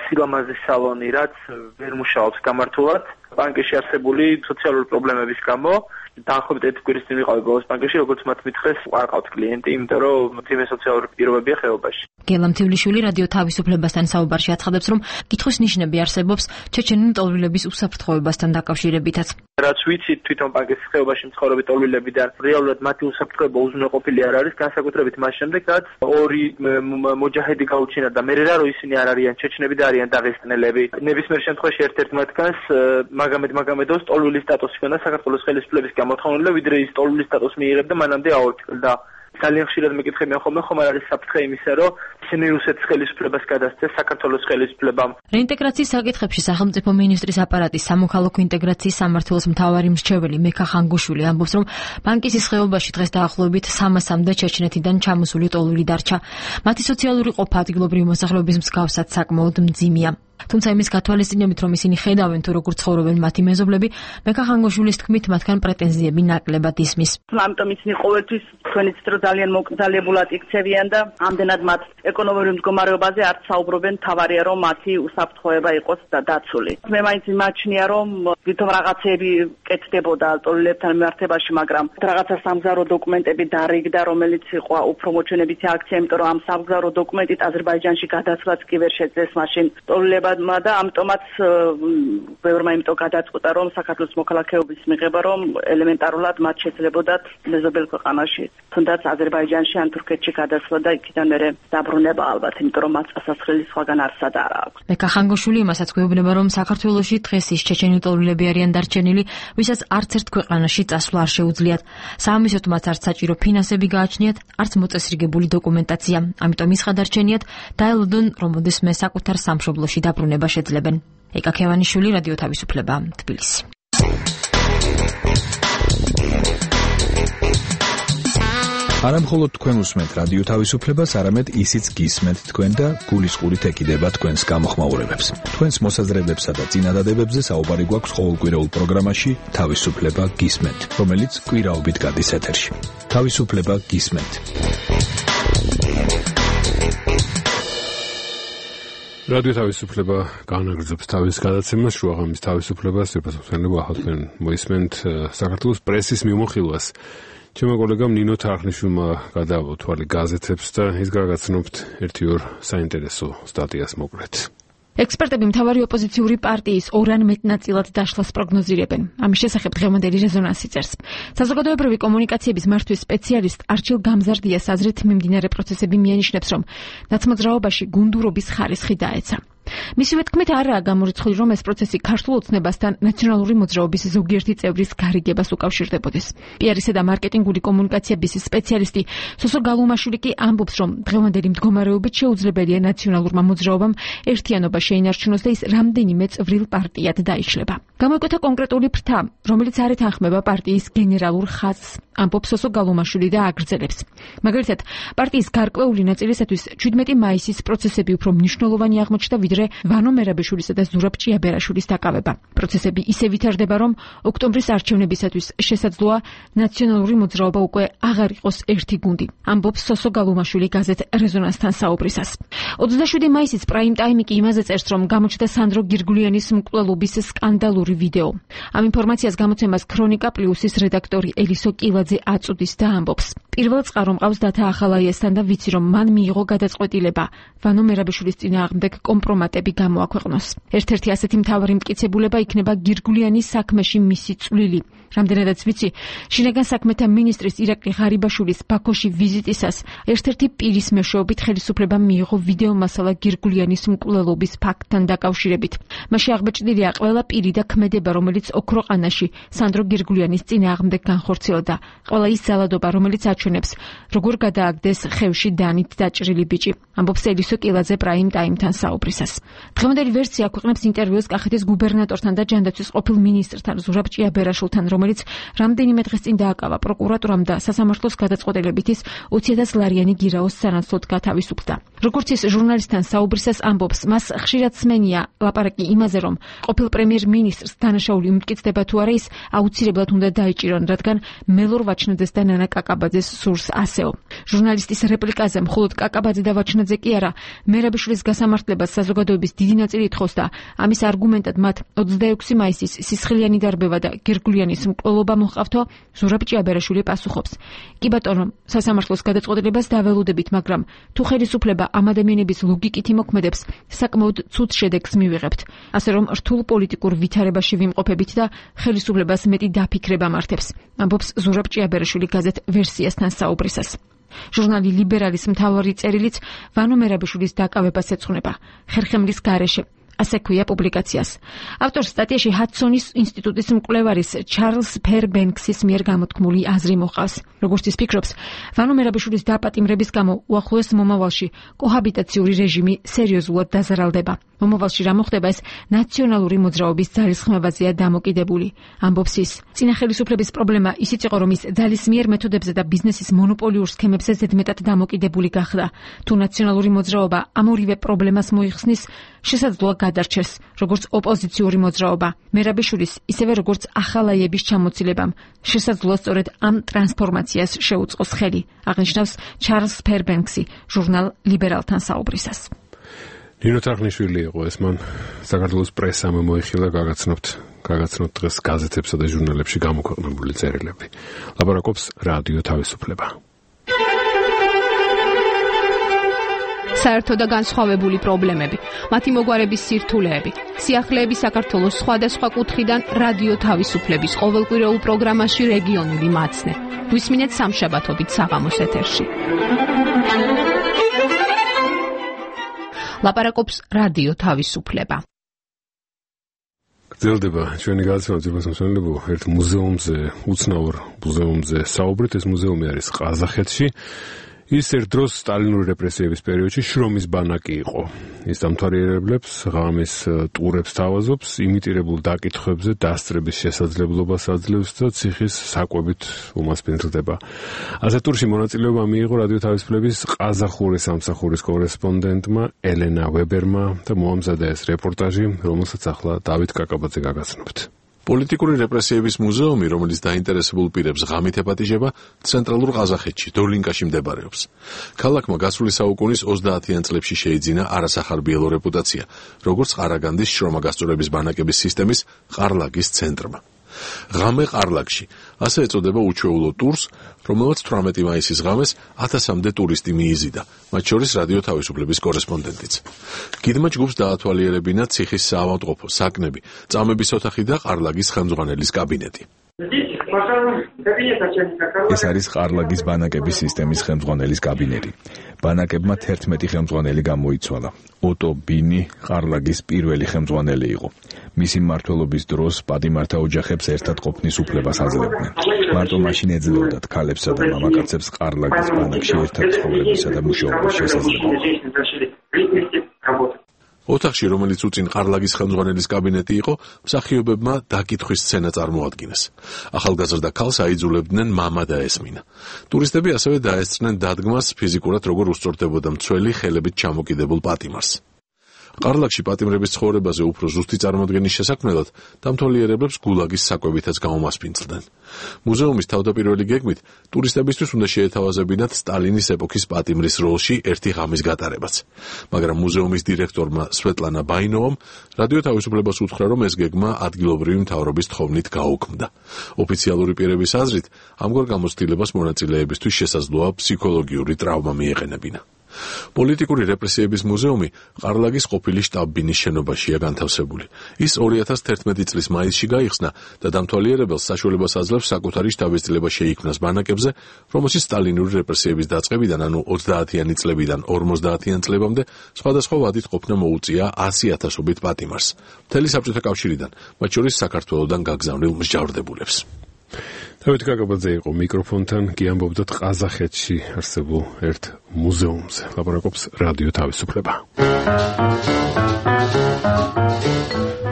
S5: სილამაზის სალონი, რაც ვერ მუშაობს გამართულად. პანკისში არსებული სოციალური პრობლემების გამო დაახლოებით ერთი კვირის წინ ვიყავი ბოლოს პანკისში, როგორც მათ მითხრეს, არ ყავთ კლიენტი, იმიტომ რომ თიმე სოციალური პირობებია ხეობაში.
S15: გელა მთიულიშვილი რადიო თავისუფლებასთან საუბარში აცხადებს, რომ კითხვის ნიშნები არსებობს ჩეჩენელი ტოლვილების უსაფრთხოებასთან დაკავშირებითაც.
S5: რაც ვიცით თვითონ პანკისის ხეობაში მცხოვრები ტოლვილებიდან, რეალურად მათი უსაფრთხოება უზრუნველყოფილი არ არის, განსაკუთრებით მას შემდეგ, რაც ორი მოჯაჰედი გაუჩინა და მე რა რომ ისინი არ არიან ჩეჩნები და არიან დაღესტნელები. ნებისმიერ შემთხვევაში ერთ-ერთ მათგანს მაგამედ მაგამედოს ტოლვილის სტატუსი ჰქონდა საქართველოს ხელისუფლების გამოთხოვნილი, ვიდრე ის ტოლვილის სტატუსს მიიღებდა მანამდე აორთქლდა. ძალიან ხშირად მეკითხებიან ხოლმე, ხომ არ არის საფრთხე იმისა, რომ ისინი რუსეთის ხელისუფლებას გადასცეს საქართველოს ხელისუფლებამ.
S15: რეინტეგრაციის საკითხებში სახელმწიფო მინისტრის აპარატის სამოქალაქო ინტეგრაციის სამმართველოს მთავარი მრჩეველი მექა ხანგუშვილი ამბობს, რომ პანკისის ხეობაში დღეს დაახლოებით სამასამდე ჩეჩნეთიდან ჩამოსული ტოლვილი დარჩა. მათი სოციალური ყოფა ადგილობრივი მოსახლეობის მსგავსად საკმაოდ მძიმეა. თუმცა იმის გათვალისწინებით, რომ ისინი ხედავენ თუ როგორ ცხოვრობენ მათი მეზობლები, მექა ხანგუშვილის თქმით, მათგან პრეტენზიები ნაკლებად ისმის.
S8: ამიტომ ისინი ყოველთვის თქვენიც რომ ძალიან მოკრძალებულად იქცევიან და ამდენად მათ ეკონომიკური მდგომარეობაზე არც საუბრობენ, თავარია რომ მათი უსაფრთხოება იყოს და დაცული. მე მაინც მიმაჩნია, რომ თვითონ რაღაცეები კეთდებოდა ტოლვილებთან მიმართებაში, მაგრამ რაღაცა სამგზავრო დოკუმენტები დარიგდა, რომელიც იყო უფრო მოჩვენებითი აქცია, იმიტომ რომ ამ სამგზავრო დოკუმენტით აზერბაიჯანში გადასვლაც კი ვერ შეძლეს მაშინ ტოლვილებმა და ამიტომაც ბევრმა იმიტომ გადაწყვიტა, რომ საქართველოს მოქალაქეობის მიღება, რომ ელემენტარულად მათ შეძლებოდათ მეზობელ ქვეყანაში, თუნდაც აზერბაიჯანში ან თურქეთში გადასვლა და იქიდან მერე დაბრუნება.
S18: დაბრუნება ალბათ, იმიტომ რომ მას წასასვლელი სხვაგან არსად არ აქვს.
S15: მეკა ხანგოშვილი იმასაც გვეუბნება, რომ საქართველოში დღეს ის ჩეჩენელი ტოლვილები არიან დარჩენილი, ვისაც არც ერთ ქვეყანაში წასვლა არ შეუძლიათ. საამისოდ მათ არც საჭირო ფინანსები გააჩნიათ, არც მოწესრიგებული დოკუმენტაცია. ამიტომ ის ხადარჩენიათ დაელოდონ, რომ ოდესმე საკუთარ სამშობლოში დაბრუნება შეძლებენ. ეკა ქევანიშვილი, რადიო თავისუფლება, თბილისი.
S19: არა მხოლოდ თქვენ უსმენთ რადიო თავისუფლებას, არამედ ისიც გისმენთ თქვენ და გულისყურით ეკიდება თქვენს გამოხმაურებებს. თქვენს მოსაზრებებსა და წინადადებებზე საუბარი გვაქვს ყოველკვირეულ პროგრამაში თავისუფლება გისმენთ, რომელიც კვირაობით გადის ეთერში. თავისუფლება გისმენთ.
S1: რადიო თავისუფლება განაგრძობს თავის გადაცემას, შუაღამის თავისუფლებას, შეფასებსენებო ახლა თქვენ მოისმენთ საქართველოს პრესის მიმოხილვას. ჩემო კოლეგამ ნინო თარხნიშვილმა გადაავა თვალი გაზეთებს და ის გაგაცნობთ ერთი ორ საინტერესო სტატიას მოკლედ.
S20: ექსპერტები მთავარი ოპოზიციური პარტიის ორ ან მეტ ნაწილად დაშლას პროგნოზირებენ. ამის შესახებ დღევანდელი რეზონანსი წერს. საზოგადოებრივი კომუნიკაციების მართვის სპეციალისტ არჩილ გამზარდიას აზრით მიმდინარე პროცესები მიანიშნებს, რომ ნაცმოძრაობაში გუნდურობის ხარისხი დაეცა. მისივე თქმით არაა გამორიცხული, რომ ეს პროცესი ქართულ ოცნებასთან ნაციონალური მოძრაობის ზოგიერთი წევრის გარიგებას უკავშირდებოდეს. პიარისა და მარკეტინგული კომუნიკაციების სპეციალისტი სოსო გალუმაშვილი კი ამბობს, რომ დღევანდელი მდგომარეობით შეუძლებელია ნაციონალურმა მოძრაობამ ერთიანობა შეინარჩუნოს და ის რამდენიმე წვრილ პარტიად დაიშლება. გამოიკვეთა კონკრეტული ფრთა, რომელიც არ ეთანხმება პარტიის გენერალურ ხაზს, ამბობს სოსო გალუმაშვილი და აგრძელებს. მაგალითად, პარტიის გარკვეული ნაწილისათვის შვიდმეტი მაისის პროცესები უფრო მნიშვნელოვანი აღმოჩნდა ვიდრე ვანო მერაბიშვილისა და ზურაბ ჭიაბერაშვილის დაკავება. პროცესები ისე ვითარდება, რომ ოქტომბრის არჩევნებისათვის შესაძლოა ნაციონალური მოძრაობა უკვე აღარ იყოს ერთი გუნდი. ამბობს სოსო გალუმაშვილი გაზეთ რეზონანსთან საუბრისას. ოცდაშვიდი მაისის პრაიმ ტაიმი კი იმაზე წერს, რომ გამოჩნდა სანდრო გირგულიანის მკვლელობის სკანდალური ვიდეო. ამ ინფორმაციას გამოცემას ქრონიკა პლუსის რედაქტორი ელისო კილაძე აწუდის და ამბობს. პირველ წყარო მყავს დათა ახალაიასთან და ვიცი, რომ მან მიიღო გადაწყვეტილება ვანო მერაბიშვილის წინააღმდეგ კომპრომატები გამოაქვეყნოს. ერთ-ერთი ასეთი მთავარი მტკიცებულება იქნება გირგულიანის საქმეში მისი წვლილი. რამდენადაც ვიცი, შინაგან საქმეთა მინისტრის ირაკლი ღარიბაშვილის ბაქოში ვიზიტისას ერთ-ერთი პირის მეშვეობით ხელისუფლებამ მიიღო ვიდეო მასალა გირგულიანის მკვლელობის ფაქტთან დაკავშირებით. მასში აღბეჭდილია ყველა პირი და ქმედება, რომელიც ოქროყანაში სანდრო გირგულიანის წინააღმდეგ განხორციელდა. ყველა ის ძალადობა, რომელიც აჩვენებს, როგორ გადააგდეს ხევში დანით დაჭრილი ბიჭი. ამბობს ელისო კილაძე პრაიმ ტაიმთან საუბრისას. დღევანდელი ვერსია აქვეყნებს ინტერვიუს კახეთის გუბერნატორთან და ჯანდაცვის ყოფილ მინისტრთან ზურაბ ჭიაბერაშვილთან, რომელიც რამდენიმე დღეს წინ დააკავა პროკურატურამ და სასამართლოს გადაწყვეტილებით ის ოცი ათას ლარიანი გირაოს სანაცვლოდ გათავისუფლდა. როგორც ის ჟურნალისტთან საუბრისას ამბობს, მას ხშირად სმენია ლაპარაკი იმაზე, რომ ყოფილ პრემიერ-მინისტრს დანაშაული უმტკიცდება თუ არა, ის აუცილებლად უნდა დაიჭირონ, რადგან მელორ ვაჩნაძეს და ნანა კაკაბაძეს სურს ასეო. ჟურნალისტის რეპლიკაზე მხოლოდ კაკაბაძე და ვაჩნაძე კი არა, მერაბიშვილის გასამართლებას საზოგადოების დიდი ნაწილი ითხოვს და ამის არგუმენტად მათ ოცდაექვსი მაისის სისხლიანი დარბევა და გირგულიანის მკვლელობა მოჰყავთო, ზურაბ ჭიაბერაშვილი პასუხობს. კი ბატონო, სასამართლოს გადაწყვეტილებას დაველოდებით, მაგრამ თუ ხელისუფლება ამ ადამიანების ლოგიკით იმოქმედებს, საკმაოდ ცუდ შედეგს მივიღებთ. ასე რომ რთულ პოლიტიკურ ვითარებაში ვიმყოფებით და ხელისუფლებას მეტი დაფიქრება მართებს. ამბობს ზურაბ ჭიაბერაშვილი გაზეთ ვერსიასთან საუბრისას. ჟურნალი ლიბერალის მთავარი წერილიც ვანო მერაბიშვილის დაკავებას ეძღვნება. ხერხემლის გარეშე ასე ქვია პუბლიკაციას. ავტორს სტატიაში ჰადსონის ინსტიტუტის მკვლევარის ჩარლს ფერბენქსის მიერ გამოთქმული აზრი მოყავს. როგორც ის ფიქრობს, ვანო მერაბიშვილის დაპატიმრების გამო უახლოეს მომავალში კოჰაბიტაციური რეჟიმი სერიოზულად დაზარალდება. მომავალში რა მოხდება, ეს ნაციონალური მოძრაობის ძალისხმევაზეა დამოკიდებული. ამბობს ის. წინა ხელისუფლების პრობლემა ისიც იყო, რომ ის ძალისმიერ მეთოდებზე და ბიზნესის მონოპოლიურ სქემებზე ზედმეტად დამოკიდებული გახდა. თუ ნაციონალური მოძრაობა ამ ორივე პრობლემას მოიხსნის, შესაძლოა გადარჩეს, როგორც ოპოზიციური მოძრაობა. მერაბიშვილის, ისევე როგორც ახალაიების ჩამოცილებამ შესაძლოა სწორედ ამ ტრანსფორმაციას შეუწყოს ხელი, აღნიშნავს ჩარლს ფერბენქსი ჟურნალ ლიბერალთან საუბრისას.
S1: ნინო თარხნიშვილი იყო ეს, მან საქართველოს პრესამ მოიხილა გაგაცნობთ, გაგაცნობთ დღეს გაზეთებსა და ჟურნალებში გამოქვეყნებული წერილები. ლაპარაკობს რადიო თავისუფლება.
S21: საერთო და განსხვავებული პრობლემები, მათი მოგვარების სირთულეები, სიახლეები საქართველოს სხვადასხვა კუთხიდან რადიო თავისუფლების ყოველკვირეულ პროგრამაში რეგიონული მაცნე. გვისმინეთ სამშაბათობით საღამოს ეთერში. ლაპარაკობს რადიო თავისუფლება.
S1: გრძელდება ჩვენი გადაცემა ძირფას მსმენელებო ერთ მუზეუმზე, უცნაურ მუზეუმზე საუბრით. ეს მუზეუმი არის ყაზახეთში. ის ერთ დროს სტალინური რეპრესიების პერიოდში შრომის ბანაკი იყო. ის დამთვალიერებლებს ღამის ტურებს თავაზობს, იმიტირებულ დაკითხვებზე დასწრების შესაძლებლობას აძლევს და ციხის საკვებით უმასპინძლდება. ასეთ ტურში მონაწილეობა მიიღო რადიო თავისუფლების ყაზახური სამსახურის კორესპონდენტმა ელენა ვებერმა და მოამზადა ეს რეპორტაჟი, რომელსაც ახლა დავით კაკაბაძე გაგაცნობთ.
S3: პოლიტიკური რეპრესიების მუზეუმი, რომელიც დაინტერესებულ პირებს ღამით ეპატიჟება, ცენტრალურ ყაზახეთში, დოლინკაში მდებარეობს. ქალაქმა გასული საუკუნის ოცდაათიან წლებში შეიძინა არასახარბიელო რეპუტაცია, როგორც ყარაგანდის შრომაგასწორების ბანაკების სისტემის ყარლაგის ცენტრმა. ღამე ყარლაგში, ასე ეწოდება უჩვეულო ტურს, რომელსაც თვრამეტი მაისის ღამეს ათასამდე ტურისტი მიიზიდა, მათ შორის რადიო თავისუფლების კორესპონდენტიც. გიდმა ჯგუფს დაათვალიერებინა ციხის საავადმყოფო, საკნები, წამების ოთახი და ყარლაგის ხელმძღვანელის კაბინეტი.
S19: ეს არის ყარლაგის ბანაკების სისტემის ხელმძღვანელის კაბინეტი. ბანაკებმა თერთმეტი ხელმძღვანელი გამოიცვალა. ოტო ბინი ყარლაგის პირველი ხელმძღვანელი იყო. მისი მმართველობის დროს პატიმართა ოჯახებს ერთად ყოფნის უფლებას აძლევდნენ. მარტო მაშინ ეძლეოდათ ქალებსა და მამაკაცებს ყარლაგის ბანაკში ერთად ცხოვრებისა და მუშაობის შესაძლებლობა.
S3: ოთახში, რომელიც უწინ ყარლაგის ხელმძღვანელის კაბინეტი იყო, მსახიობებმა დაკითხვის სცენა წარმოადგინეს. ახალგაზრდა ქალს აიძულებდნენ მამა და ესმინა. ტურისტები ასევე დაესწრნენ დადგმას ფიზიკურად როგორ უსწორდებოდა მცველი ხელებით ჩამოკიდებულ პატიმარს. ყარლაგში პატიმრების ცხოვრებაზე უფრო ზუსტი წარმოდგენის შესაქმნელად დამთვალიერებლებს გულაგის საკვებითაც გაუმასპინძლდნენ. მუზეუმის თავდაპირველი გეგმით ტურისტებისთვის უნდა შეეთავაზებინათ სტალინის ეპოქის პატიმრის როლში ერთი ღამის გატარებაც. მაგრამ მუზეუმის დირექტორმა სვეტლანა ბაინოვამ რადიო თავისუფლებას უთხრა, რომ ეს გეგმა ადგილობრივი მთავრობის თხოვნით გაუქმდა. ოფიციალური პირების აზრით, ამგვარ გამოცდილებას მონაწილეებისთვის შესაძლოა ფსიქოლოგიური ტრავმა მიეყენებინა. პოლიტიკური რეპრესიების მუზეუმი ყარლაგის ყოფილი შტაბ-ბინის შენობაშია განთავსებული. ის ორი ათას თერთმეტი წლის მაისში გაიხსნა და დამთვალიერებელს საშუალებას აძლევს საკუთარი შტაბის-წლება შეიქმნას ბანაკებზე, რომელშიც სტალინური რეპრესიების დაწყებიდან, ანუ ოცდაათიანი წლებიდან ორმოცდაათიან წლებამდე სხვადასხვა ვადით ყოფნა მოუწია ასი ათასობით პატიმარს. მთელი საბჭოთა კავშირიდან, მათ შორის საქართველოდან გაგზავნილ მსჯავრდებულებს.
S1: დავით კაკაბაძე იყო მიკროფონთან, კი ამბობდათ ყაზახეთში არსებულ ერთ მუზეუმზე. ლაპარაკობს რადიო თავისუფლება.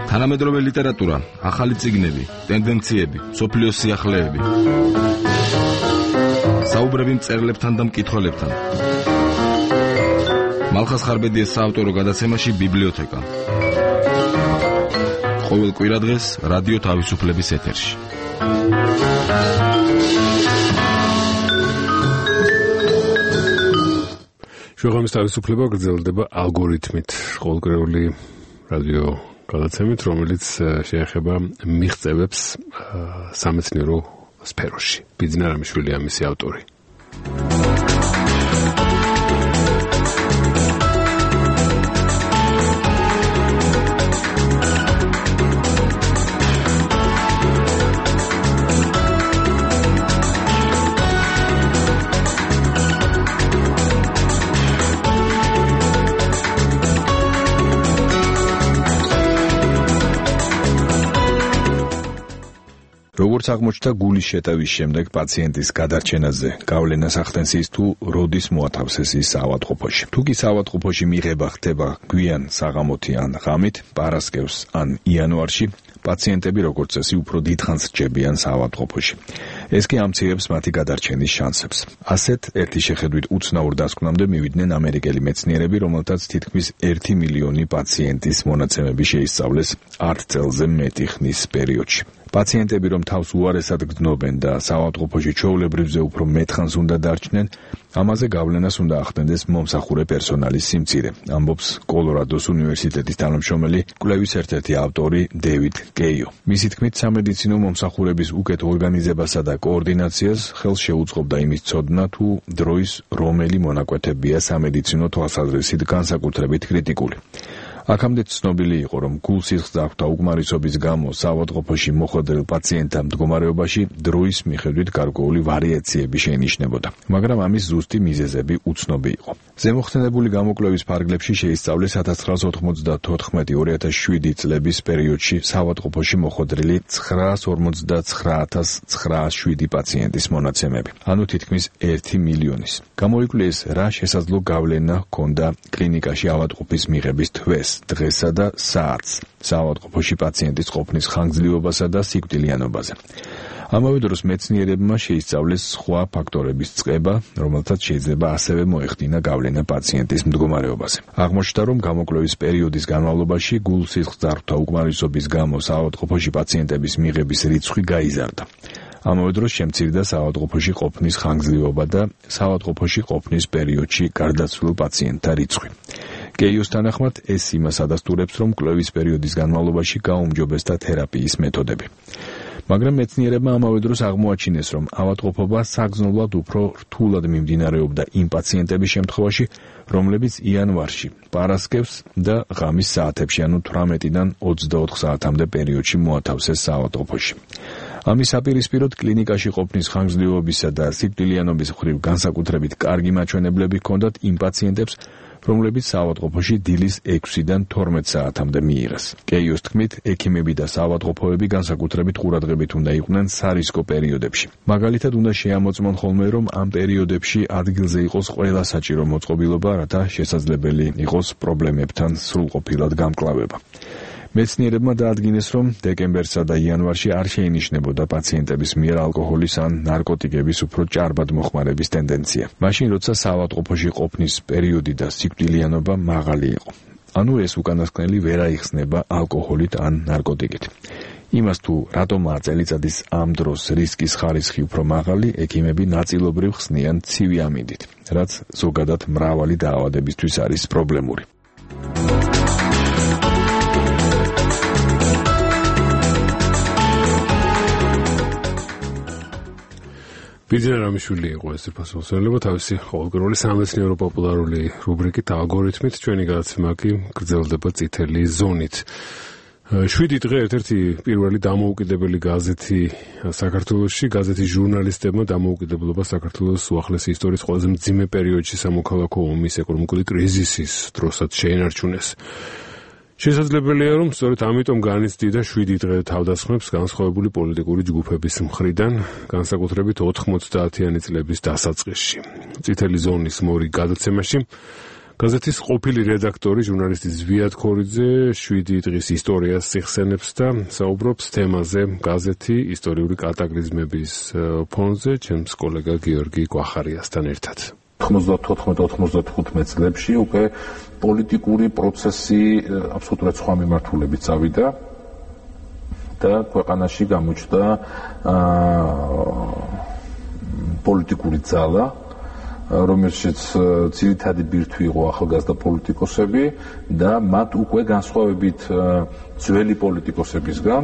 S4: თანამედროვე ლიტერატურა, ახალი წიგნები, ტენდენციები, სოფლიოს სიახლეები. საუბრები მწერლებთან და მკითხველებთან. მალხას ხარბედიეს საავტორო გადაცემაში ბიბლიოთეკა. ყოველ კვირადღეს რადიო თავისუფლების ეთერში.
S1: შუაღამის თავისუფლება გრძელდება ალგორითმით, ყოველკვირეული რადიო გადაცემით, რომელიც შეეხება მიღწევებს სამეცნიერო სფეროში. ბიძინა რამიშვილია მისი ავტორი.
S19: როგორც აღმოჩნდა გულის შეტევის შემდეგ პაციენტის გადარჩენაზე გავლენას ახდენს ის თუ როდის მოათავსეს ის საავადმყოფოში. თუ კი საავადმყოფოში მიღება ხდება გვიან საღამოთი ან ღამით, პარასკევს ან იანვარში, პაციენტები როგორც წესი უფრო დიდხანს რჩებიან საავადმყოფოში. ეს კი ამცირებს მათი გადარჩენის შანსებს. ასეთ ერთი შეხედვით უცნაურ დასკვნამდე მივიდნენ ამერიკელი მეცნიერები, რომელთაც თითქმის ერთი მილიონი პაციენტის მონაცემები შეისწავლეს ათ წელზე მეტი ხნის პერიოდში. პაციენტები რომ თავს უარესად გრძნობენ და საავადმყოფოში ჩვეულებრივზე უფრო მეტხანს უნდა დარჩნენ, ამაზე გავლენას უნდა ახდენდეს მომსახურე პერსონალის სიმცირე, ამბობს კოლორადოს უნივერსიტეტის თანამშრომელი, კვლევის ერთ-ერთი ავტორი დევიდ კეიო. მისი თქმით, სამედიცინო მომსახურების უკეთ ორგანიზებასა და კოორდინაციას ხელს შეუწყობდა იმის ცოდნა, თუ დროის რომელი მონაკვეთებია სამედიცინო თვალსაზრისით განსაკუთრებით კრიტიკული. აქამდე ცნობილი იყო, რომ გულსისხლძარღვთა უკმარისობის გამო საავადმყოფოში მოხვედრილ პაციენტთა მდგომარეობაში დროის მიხედვით გარკვეული ვარიაციები შეინიშნებოდა, მაგრამ ამის ზუსტი მიზეზები უცნობი იყო. ზემოხსენებული გამოკვლევის ფარგლებში შეისწავლეს ათას ცხრაას ოთხმოცდათოთხმეტი ორი ათას შვიდი წლების პერიოდში საავადმყოფოში მოხვედრილი ცხრაას ორმოცდაცხრა ათას ცხრაას შვიდი პაციენტის მონაცემები, ანუ თითქმის ერთი მილიონის. გამოიკვლიეს, რა შესაძლო გავლენა ჰქონდა კლინიკაში ავადმყოფის მიღების თვეს, დღესა და საათს, საავადმყოფოში პაციენტის ყოფნის ხანგრძლივობასა და სიკვდილიანობაზე. ამავე დროს მეცნიერებმა შეისწავლეს სხვა ფაქტორების წყება, რომელთაც შეიძლება ასევე მოეხდინა გავლენა პაციენტის მდგომარეობაზე. აღმოჩნდა, რომ გამოკვლევის პერიოდის განმავლობაში გულ-სისხლძარღვთა უკმარისობის გამო საავადმყოფოში პაციენტების მიღების რიცხვი გაიზარდა. ამავე დროს შემცირდა საავადმყოფოში ყოფნის ხანგრძლივობა და საავადმყოფოში ყოფნის პერიოდში გარდაცვლილ პაციენტთა რიცხვი. კეიოს თანახმად, ეს იმას ადასტურებს, რომ კვლევის პერიოდის განმავლობაში გაუმჯობესდა თერაპიის მეთოდები. მაგრამ მეცნიერებმა ამავე დროს აღმოაჩინეს, რომ ავადმყოფობა საგრძნობლად უფრო რთულად მიმდინარეობდა იმ პაციენტების შემთხვევაში, რომლებიც იანვარში, პარასკევს და ღამის საათებში, ანუ თვრამეტიდან ოცდაოთხ საათამდე პერიოდში მოათავსეს საავადმყოფოში. ამის საპირისპიროდ კლინიკაში ყოფნის ხანგრძლივობისა და სიკვდილიანობის მხრივ განსაკუთრებით კარგი მაჩვენებლები ჰქონდათ იმ პაციენტებს, რომლებიც საავადმყოფოში დილის ექვსიდან თორმეტ საათამდე მიიღეს. კეიოს თქმით, ექიმები და საავადმყოფოები განსაკუთრებით ყურადღებით უნდა იყვნენ სარისკო პერიოდებში. მაგალითად, უნდა შეამოწმონ ხოლმე, რომ ამ პერიოდებში ადგილზე იყოს ყველა საჭირო მოწყობილობა, რათა შესაძლებელი იყოს პრობლემებთან სრულყოფილად გამკლავება. მეცნიერებმა დაადგინეს, რომ დეკემბერსა და იანვარში არ შეინიშნებოდა პაციენტების მიერ ალკოჰოლის ან ნარკოტიკების უფრო ჭარბად მოხმარების ტენდენცია. მაშინ, როცა საავადმყოფოში ყოფნის პერიოდი და სიკვდილიანობა მაღალი იყო. ანუ ეს უკანასკნელი ვერ აიხსნება ალკოჰოლით ან ნარკოტიკით. იმას თუ რატომაა წელიწადის ამ დროს რისკის ხარისხი უფრო მაღალი, ექიმები ნაწილობრივ ხსნიან ცივი ამინდით, რაც ზოგადად მრავალი დაავადებისთვის არის პრობლემური.
S1: ბიძინა რამიშვილი იყო ეს ფასმოსელება თავისი ყოველკვირეული სამეცნიერო პოპულარული რუბრიკით ალგორითმით, ჩვენი გადაცემა კი გრძელდება წითელი ზონით. შვიდი დღე ერთ-ერთი პირველი დამოუკიდებელი გაზეთი საქართველოში, გაზეთის ჟურნალისტებმა დამოუკიდებლობა საქართველოს უახლესი ისტორიის ყველაზე მძიმე პერიოდში სამოქალაქო ომის ეკონომიკური კრიზისის დროსაც შეინარჩუნეს. შესაძლებელია, რომ სწორედ ამიტომ განიცდიდა შვიდი დღე თავდასხმებს განსხვავებული პოლიტიკური ჯგუფების მხრიდან, განსაკუთრებით ოთხმოცდაათიანი წლების დასაწყისში. წითელი ზონის მორიგ გადაცემაში გაზეთის ყოფილი რედაქტორი, ჟურნალისტი ზვიად ქორიძე შვიდი დღის ისტორიას სიხსენებს და საუბრობს თემაზე გაზეთი ისტორიული კატაკლიზმების ფონზე ჩემს კოლეგა გიორგი კვახარიასთან ერთად.
S7: თხმოცდათოთხმეტ ოთხმოცდახუთმეტ წლებში უკვე პოლიტიკური პროცესი აბსოლუტურად სხვა მიმართულებით წავიდა და ქვეყანაში გამოჩნდა პოლიტიკური ძალა, რომელშიც ძირითადი ბირთვი იყო ახალგაზრდა პოლიტიკოსები და მათ უკვე განსხვავებით ძველი პოლიტიკოსებისგან,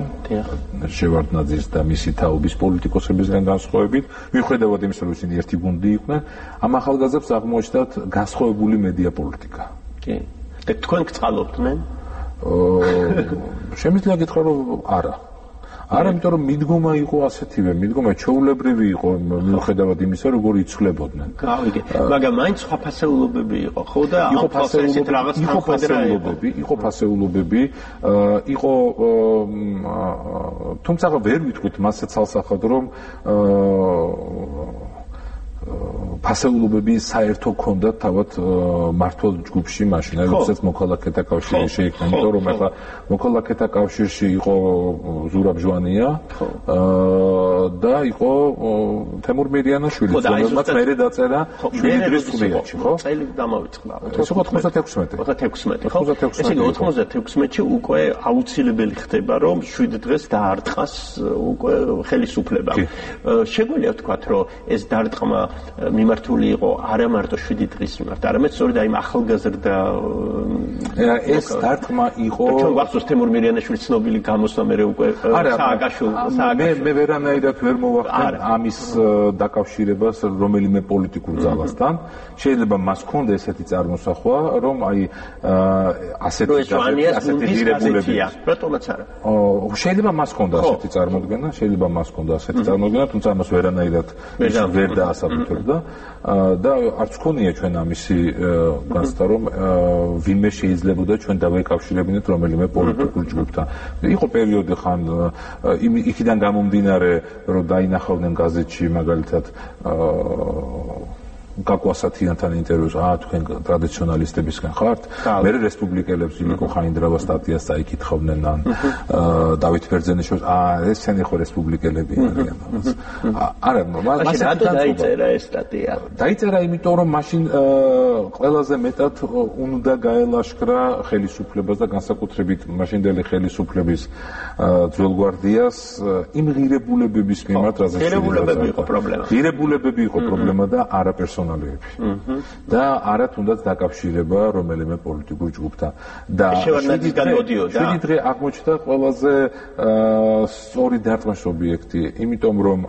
S7: შევარდნაძის და მისი თაობის პოლიტიკოსებისგან განსხვავებით, მიუხედავად იმისა, რომ ისინი ერთი გუნდი იყვნენ, ამ ახალგაზრდებს აღმოაჩნდათ განსხვავებული მედია პოლიტიკა.
S22: კი. და თქვენ გწყალობდნენ?
S7: შემიძლია გითხრა, რომ არა. არა, იმიტომ რომ მიდგომა იყო ასეთივე, მიდგომა ჩვეულებრივი იყო, მიუხედავად იმისა, როგორ იცვლებოდნენ.
S22: გავიგე. მაგრამ მაინც სხვა ფასეულობები იყო, ხო და ამ ფასეულობები რაღაც
S7: თანხმდროებები, იყო ფასეულობები, იყო თუმცა ვერ ვიტყვით მასე ცალსახად, რომ ფასეულობები საერთო ქონდათ თავად მართლ ჯგუფში მაშინ, როდესაც მოქალაქეთა კავშირი შეიქმნა, იმიტომ რომ ახლა მოქალაქეთა კავშირში იყო ზურაბ ჟვანია და იყო თემურ მირიანაშვილი, რომელმაც მერე დაწერა შვიდი დღის წვრიაჩი, ხო?
S22: წელი დამავიწყდა.
S7: ეს ოცდათექვსმეტი.
S22: ოცდათექვსმეტი, ხო? ესე იგი ოცდათექვსმეტში უკვე აუცილებელი ხდება, რომ შვიდი დღეს დაარტყას უკვე ხელისუფლება. შეგვიძლია ვთქვათ, რომ ეს დარტყმა მიმართული იყო არა მარტო შვიდი დღის მიმართ, არამედ სწორედ აი ახალგაზრდა
S7: ეს დარტყმა იყო.
S22: ჩვენ გვახსოვს თემურ მირიანაშვილის ცნობილი გამოსვლა მე უკვე
S7: სააკაშვილ მე ვერანაირად ვერ მოვახდენ ამის დაკავშირებას რომელიმე პოლიტიკურ ძალასთან. შეიძლება მას ჰქონდა ესეთი წარმოსახვა, რომ აი ასეთი ასეთი ღირებულები
S22: რატომაც არა.
S7: შეიძლება მას ჰქონდა ასეთი წარმოდგენა, შეიძლება მას ჰქონდა ასეთი წარმოდგენა, თუმცა ამას ვერანაირად ვერ დაასაბუთებდა. და არც ქონია ჩვენ ამისი განცდა რომ ვინმე შეიძლებოდა ჩვენ დავეკავშირებინეთ რომელიმე პოლიტიკურ ჯგუფთან. იყო პერიოდი ხან იქიდან გამომდინარე რომ დაინახავდნენ გაზეთში მაგალითად გაკვასათიანთან ინტერვიუს, აა თქვენ ტრადიციონალისტებისგან ხართ? მე რესპუბლიკელებს იმიკო ხაინდრავა სტატიას წაიკითხავდნენ ან დავით ბერძენიშვილს, აა ესენი ხო რესპუბლიკელები არიან. არა,
S22: მაშინ რატო დაიწერა ეს სტატია?
S7: დაიწერა იმიტომ რომ მაშინ ყველაზე მეტად უნდა გაელაშქრა ხელისუფლებას და განსაკუთრებით მაშინდელი ხელისუფლების ძველგვარდიას იმ ღირებულებების მიმართ, რაზეც
S22: ღირებულებები იყო პრობლემა.
S7: ღირებულებები იყო პრობლემა და არაპერსონალური და არა თუნდაც დაკავშირება რომელიმე პოლიტიკურ ჯგუფთან და
S22: შევარდნაძისგან მოდიოდა
S7: შვიდი დღე აღმოჩნდა ყველაზე სწორი დარტყმის ობიექტი, იმიტომ რომ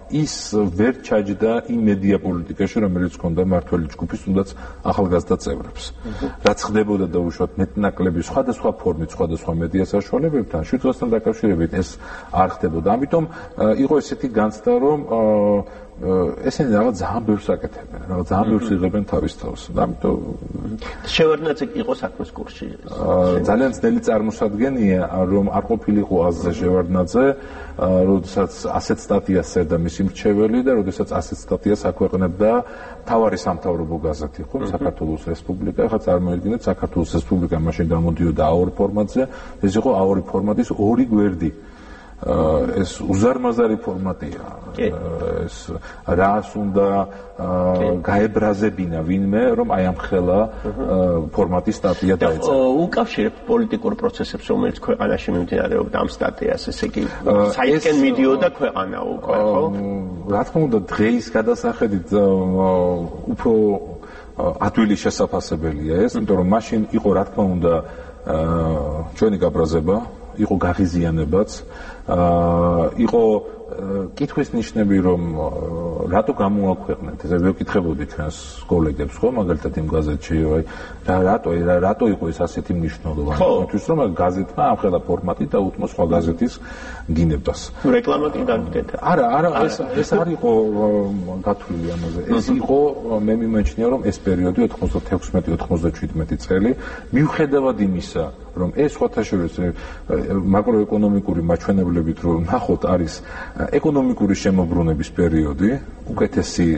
S7: ის ვერ ჩაჯდა იმ მედია პოლიტიკაში, რომელიც ჰქონდა მართველი ჯგუფის თუნდაც ახალგაზრდა წევრებს. რაც ხდებოდა დაუშვათ მეტნაკლები სხვადასხვა ფორმით, სხვადასხვა მედია საშუალებებთან, შვიდ დღესთან დაკავშირებით ეს არ ხდებოდა. ამიტომ იყო ესეთი განცდა, რომ ესენი რაღაც ძალიან ბევრს აკეთებენ, რაღაც ძალიან ბევრს იღებენ თავის თავს. ამიტომ
S22: შევარდნაძე იყო საქმის კურსში.
S7: ძალიან ძნელი წარმოსადგენია, რომ არ ყოფილიყო აზზე შევარდნაძე, როდესაც ასეთ სტატიას წერდა მისი მრჩეველი და როდესაც ასეთ სტატიას აქვეყნებდა მთავარი სამთავრობო გაზეთი, ხო, საქართველოს რესპუბლიკა. ახლა წარმოიდგინეთ, საქართველოს რესპუბლიკა მაშინ დამოდიოდა აორი ფორმატზე, ეს იყო აორი ფორმატის ორი გვერდი. ეს უზარმაზარი ფორმატია. ეს რას უნდა გაებრაზებინა ვინმე, რომ აი ამ ხელა ფორმატის სტატია დაეწერა.
S22: უკავშირებ პოლიტიკურ პროცესებს, რომელიც ქვეყანაში მიმდინარეობდა ამ სტატიას, ესე იგი, საერთოდ მიდიოდა ქვეყანა უკვე, ხო?
S7: რა თქმა უნდა, დღეის გადასახედით უფრო ადვილი შესაძლებელია ეს, იმიტომ რომ მაშინ იყო რა თქმა უნდა ჩვენი გაბრაზება, იყო გაღიზიანებაც, იყო კითხვის ნიშნები, რომ რატო გამოაქვეყნეთ, ესე ვეკითხებოდი ჩვენს კოლეგებს, ხო, მაგალითად იმ გაზეთში, აი, რატო, რატო იყო ეს ასეთი მნიშვნელოვანი? თქვით, რომ გაზეთმა ამხელა ფორმატი დაუთმო სხვა გაზეთის გინებას.
S22: რეკლამა კი გაგკეთა.
S7: არა, არა, ეს ეს არ იყო გათვლილი ამაზე. ეს იყო, მე მიმაჩნია, რომ ეს პერიოდი ოთხმოცდათექვსმეტი ოცდაშვიდმეტი წელი, მიუხედავად იმისა, რომ ეს სხვათა შორის მაკროეკონომიკური მაჩვენებლებით რომ ნახოთ არის ეკონომიკური შემოbrunების პერიოდი, უკეთესი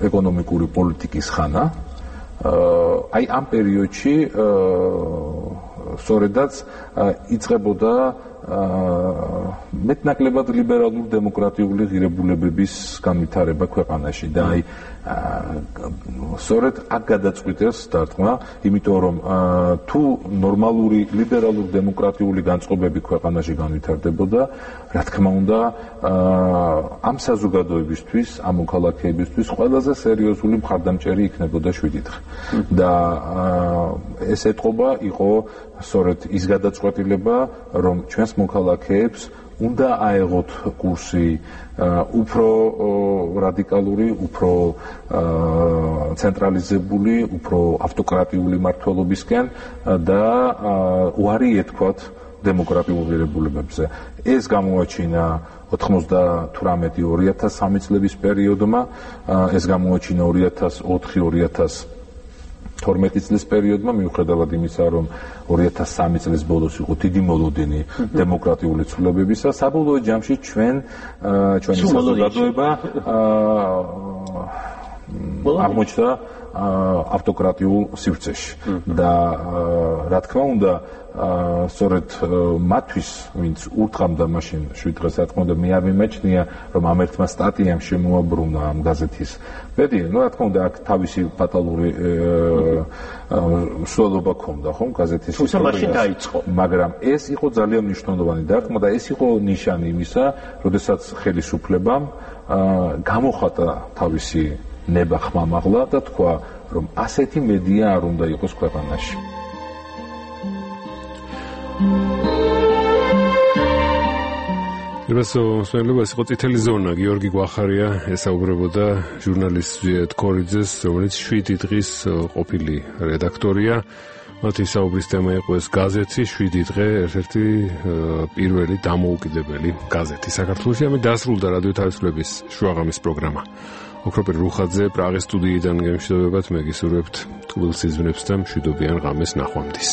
S7: ეკონომიკური პოლიტიკის ხანა. აი ამ პერიოდში სწორედაც იწყებოდა მეტნაკლებად ლიბერალურ დემოკრატიული ღირებულებების განვითარება ქვეყანაში და აი სწორედ აქ გადაწყვიტეს დარტყმა, იმიტომ რომ თუ ნორმალური ლიბერალურ დემოკრატიული განწყობები ქვეყანაში განვითარდებოდა, რა თქმა უნდა, ამ საზოგადოებისთვის, ამ მოქალაქეებისთვის ყველაზე სერიოზული მხარდამჭერი იქნებოდა შვიდი დღე. და ეს ეთყობა იყო სწორედ ის გადაწყვეტილება, რომ ჩვენს მოქალაქეებს უნდა აეღოთ კურსი უფრო რადიკალური, უფრო ცენტრალიზებული, უფრო ავტოკრატიული მმართველობისკენ და უარი ეთქვათ დემოკრატიულ ღირებულებებზე. ეს გამოაჩინა ოცდათვრამეტი ორი ათას სამი წლების პერიოდმა, ეს გამოაჩინა ორი ათას ოთხი ორი ათას თორმეტი წლის პერიოდმა, მიუხედავად იმისა, რომ ორი ათას სამი წლის ბოლოს იყო დიდი მოლოდინი დემოკრატიული ცვლილებებისა, საბოლოო ჯამში ჩვენ ჩვენი საზოგადოება აღმოჩნდა ავტოკრატიულ სივრცეში და რა თქმა უნდა სწორედ მათთვის, ვინც ურთყამდა მაშინ შვიდ დღეს, რა თქმა უნდა, მე არ მიმაჩნია, რომ ამ ერთმა სტატიამ შემოაბრუნა ამ გაზეთის ბედი. ну, რა თქმა უნდა, აქ თავისი ფატალური მსვლელობა ჰქონდა, ხო, გაზეთის
S22: თუმცა მაშინ დაიწყო.
S7: მაგრამ ეს იყო ძალიან მნიშვნელოვანი დარტყმა და ეს იყო ნიშანი იმისა, როდესაც ხელისუფლებამ გამოხატა თავისი ნება ხმამაღლა და თქვა, რომ ასეთი მედია არ უნდა იყოს ქვეყანაში.
S1: Რასო მსმენელობას იყო წითელი ზონა, გიორგი გვახარია ესაუბრებოდა ჟურნალისტ ზვიად ქორიძეს, რომელიც შვიდი დღის ყოფილი რედაქტორია. მათი საუბრის თემა იყო ეს გაზეთი შვიდი დღე, ერთ-ერთი პირველი დამოუკიდებელი გაზეთი საქართველოში. ამით დასრულდა რადიო თავისუფლების შუაღამის პროგრამა. ოქროპირ რუხაძე პრაღის სტუდიიდან გემშვიდობებათ, მე გისურვებთ თბილ სიზმრებს და მშვიდობიან ღამეს ნახვამდის.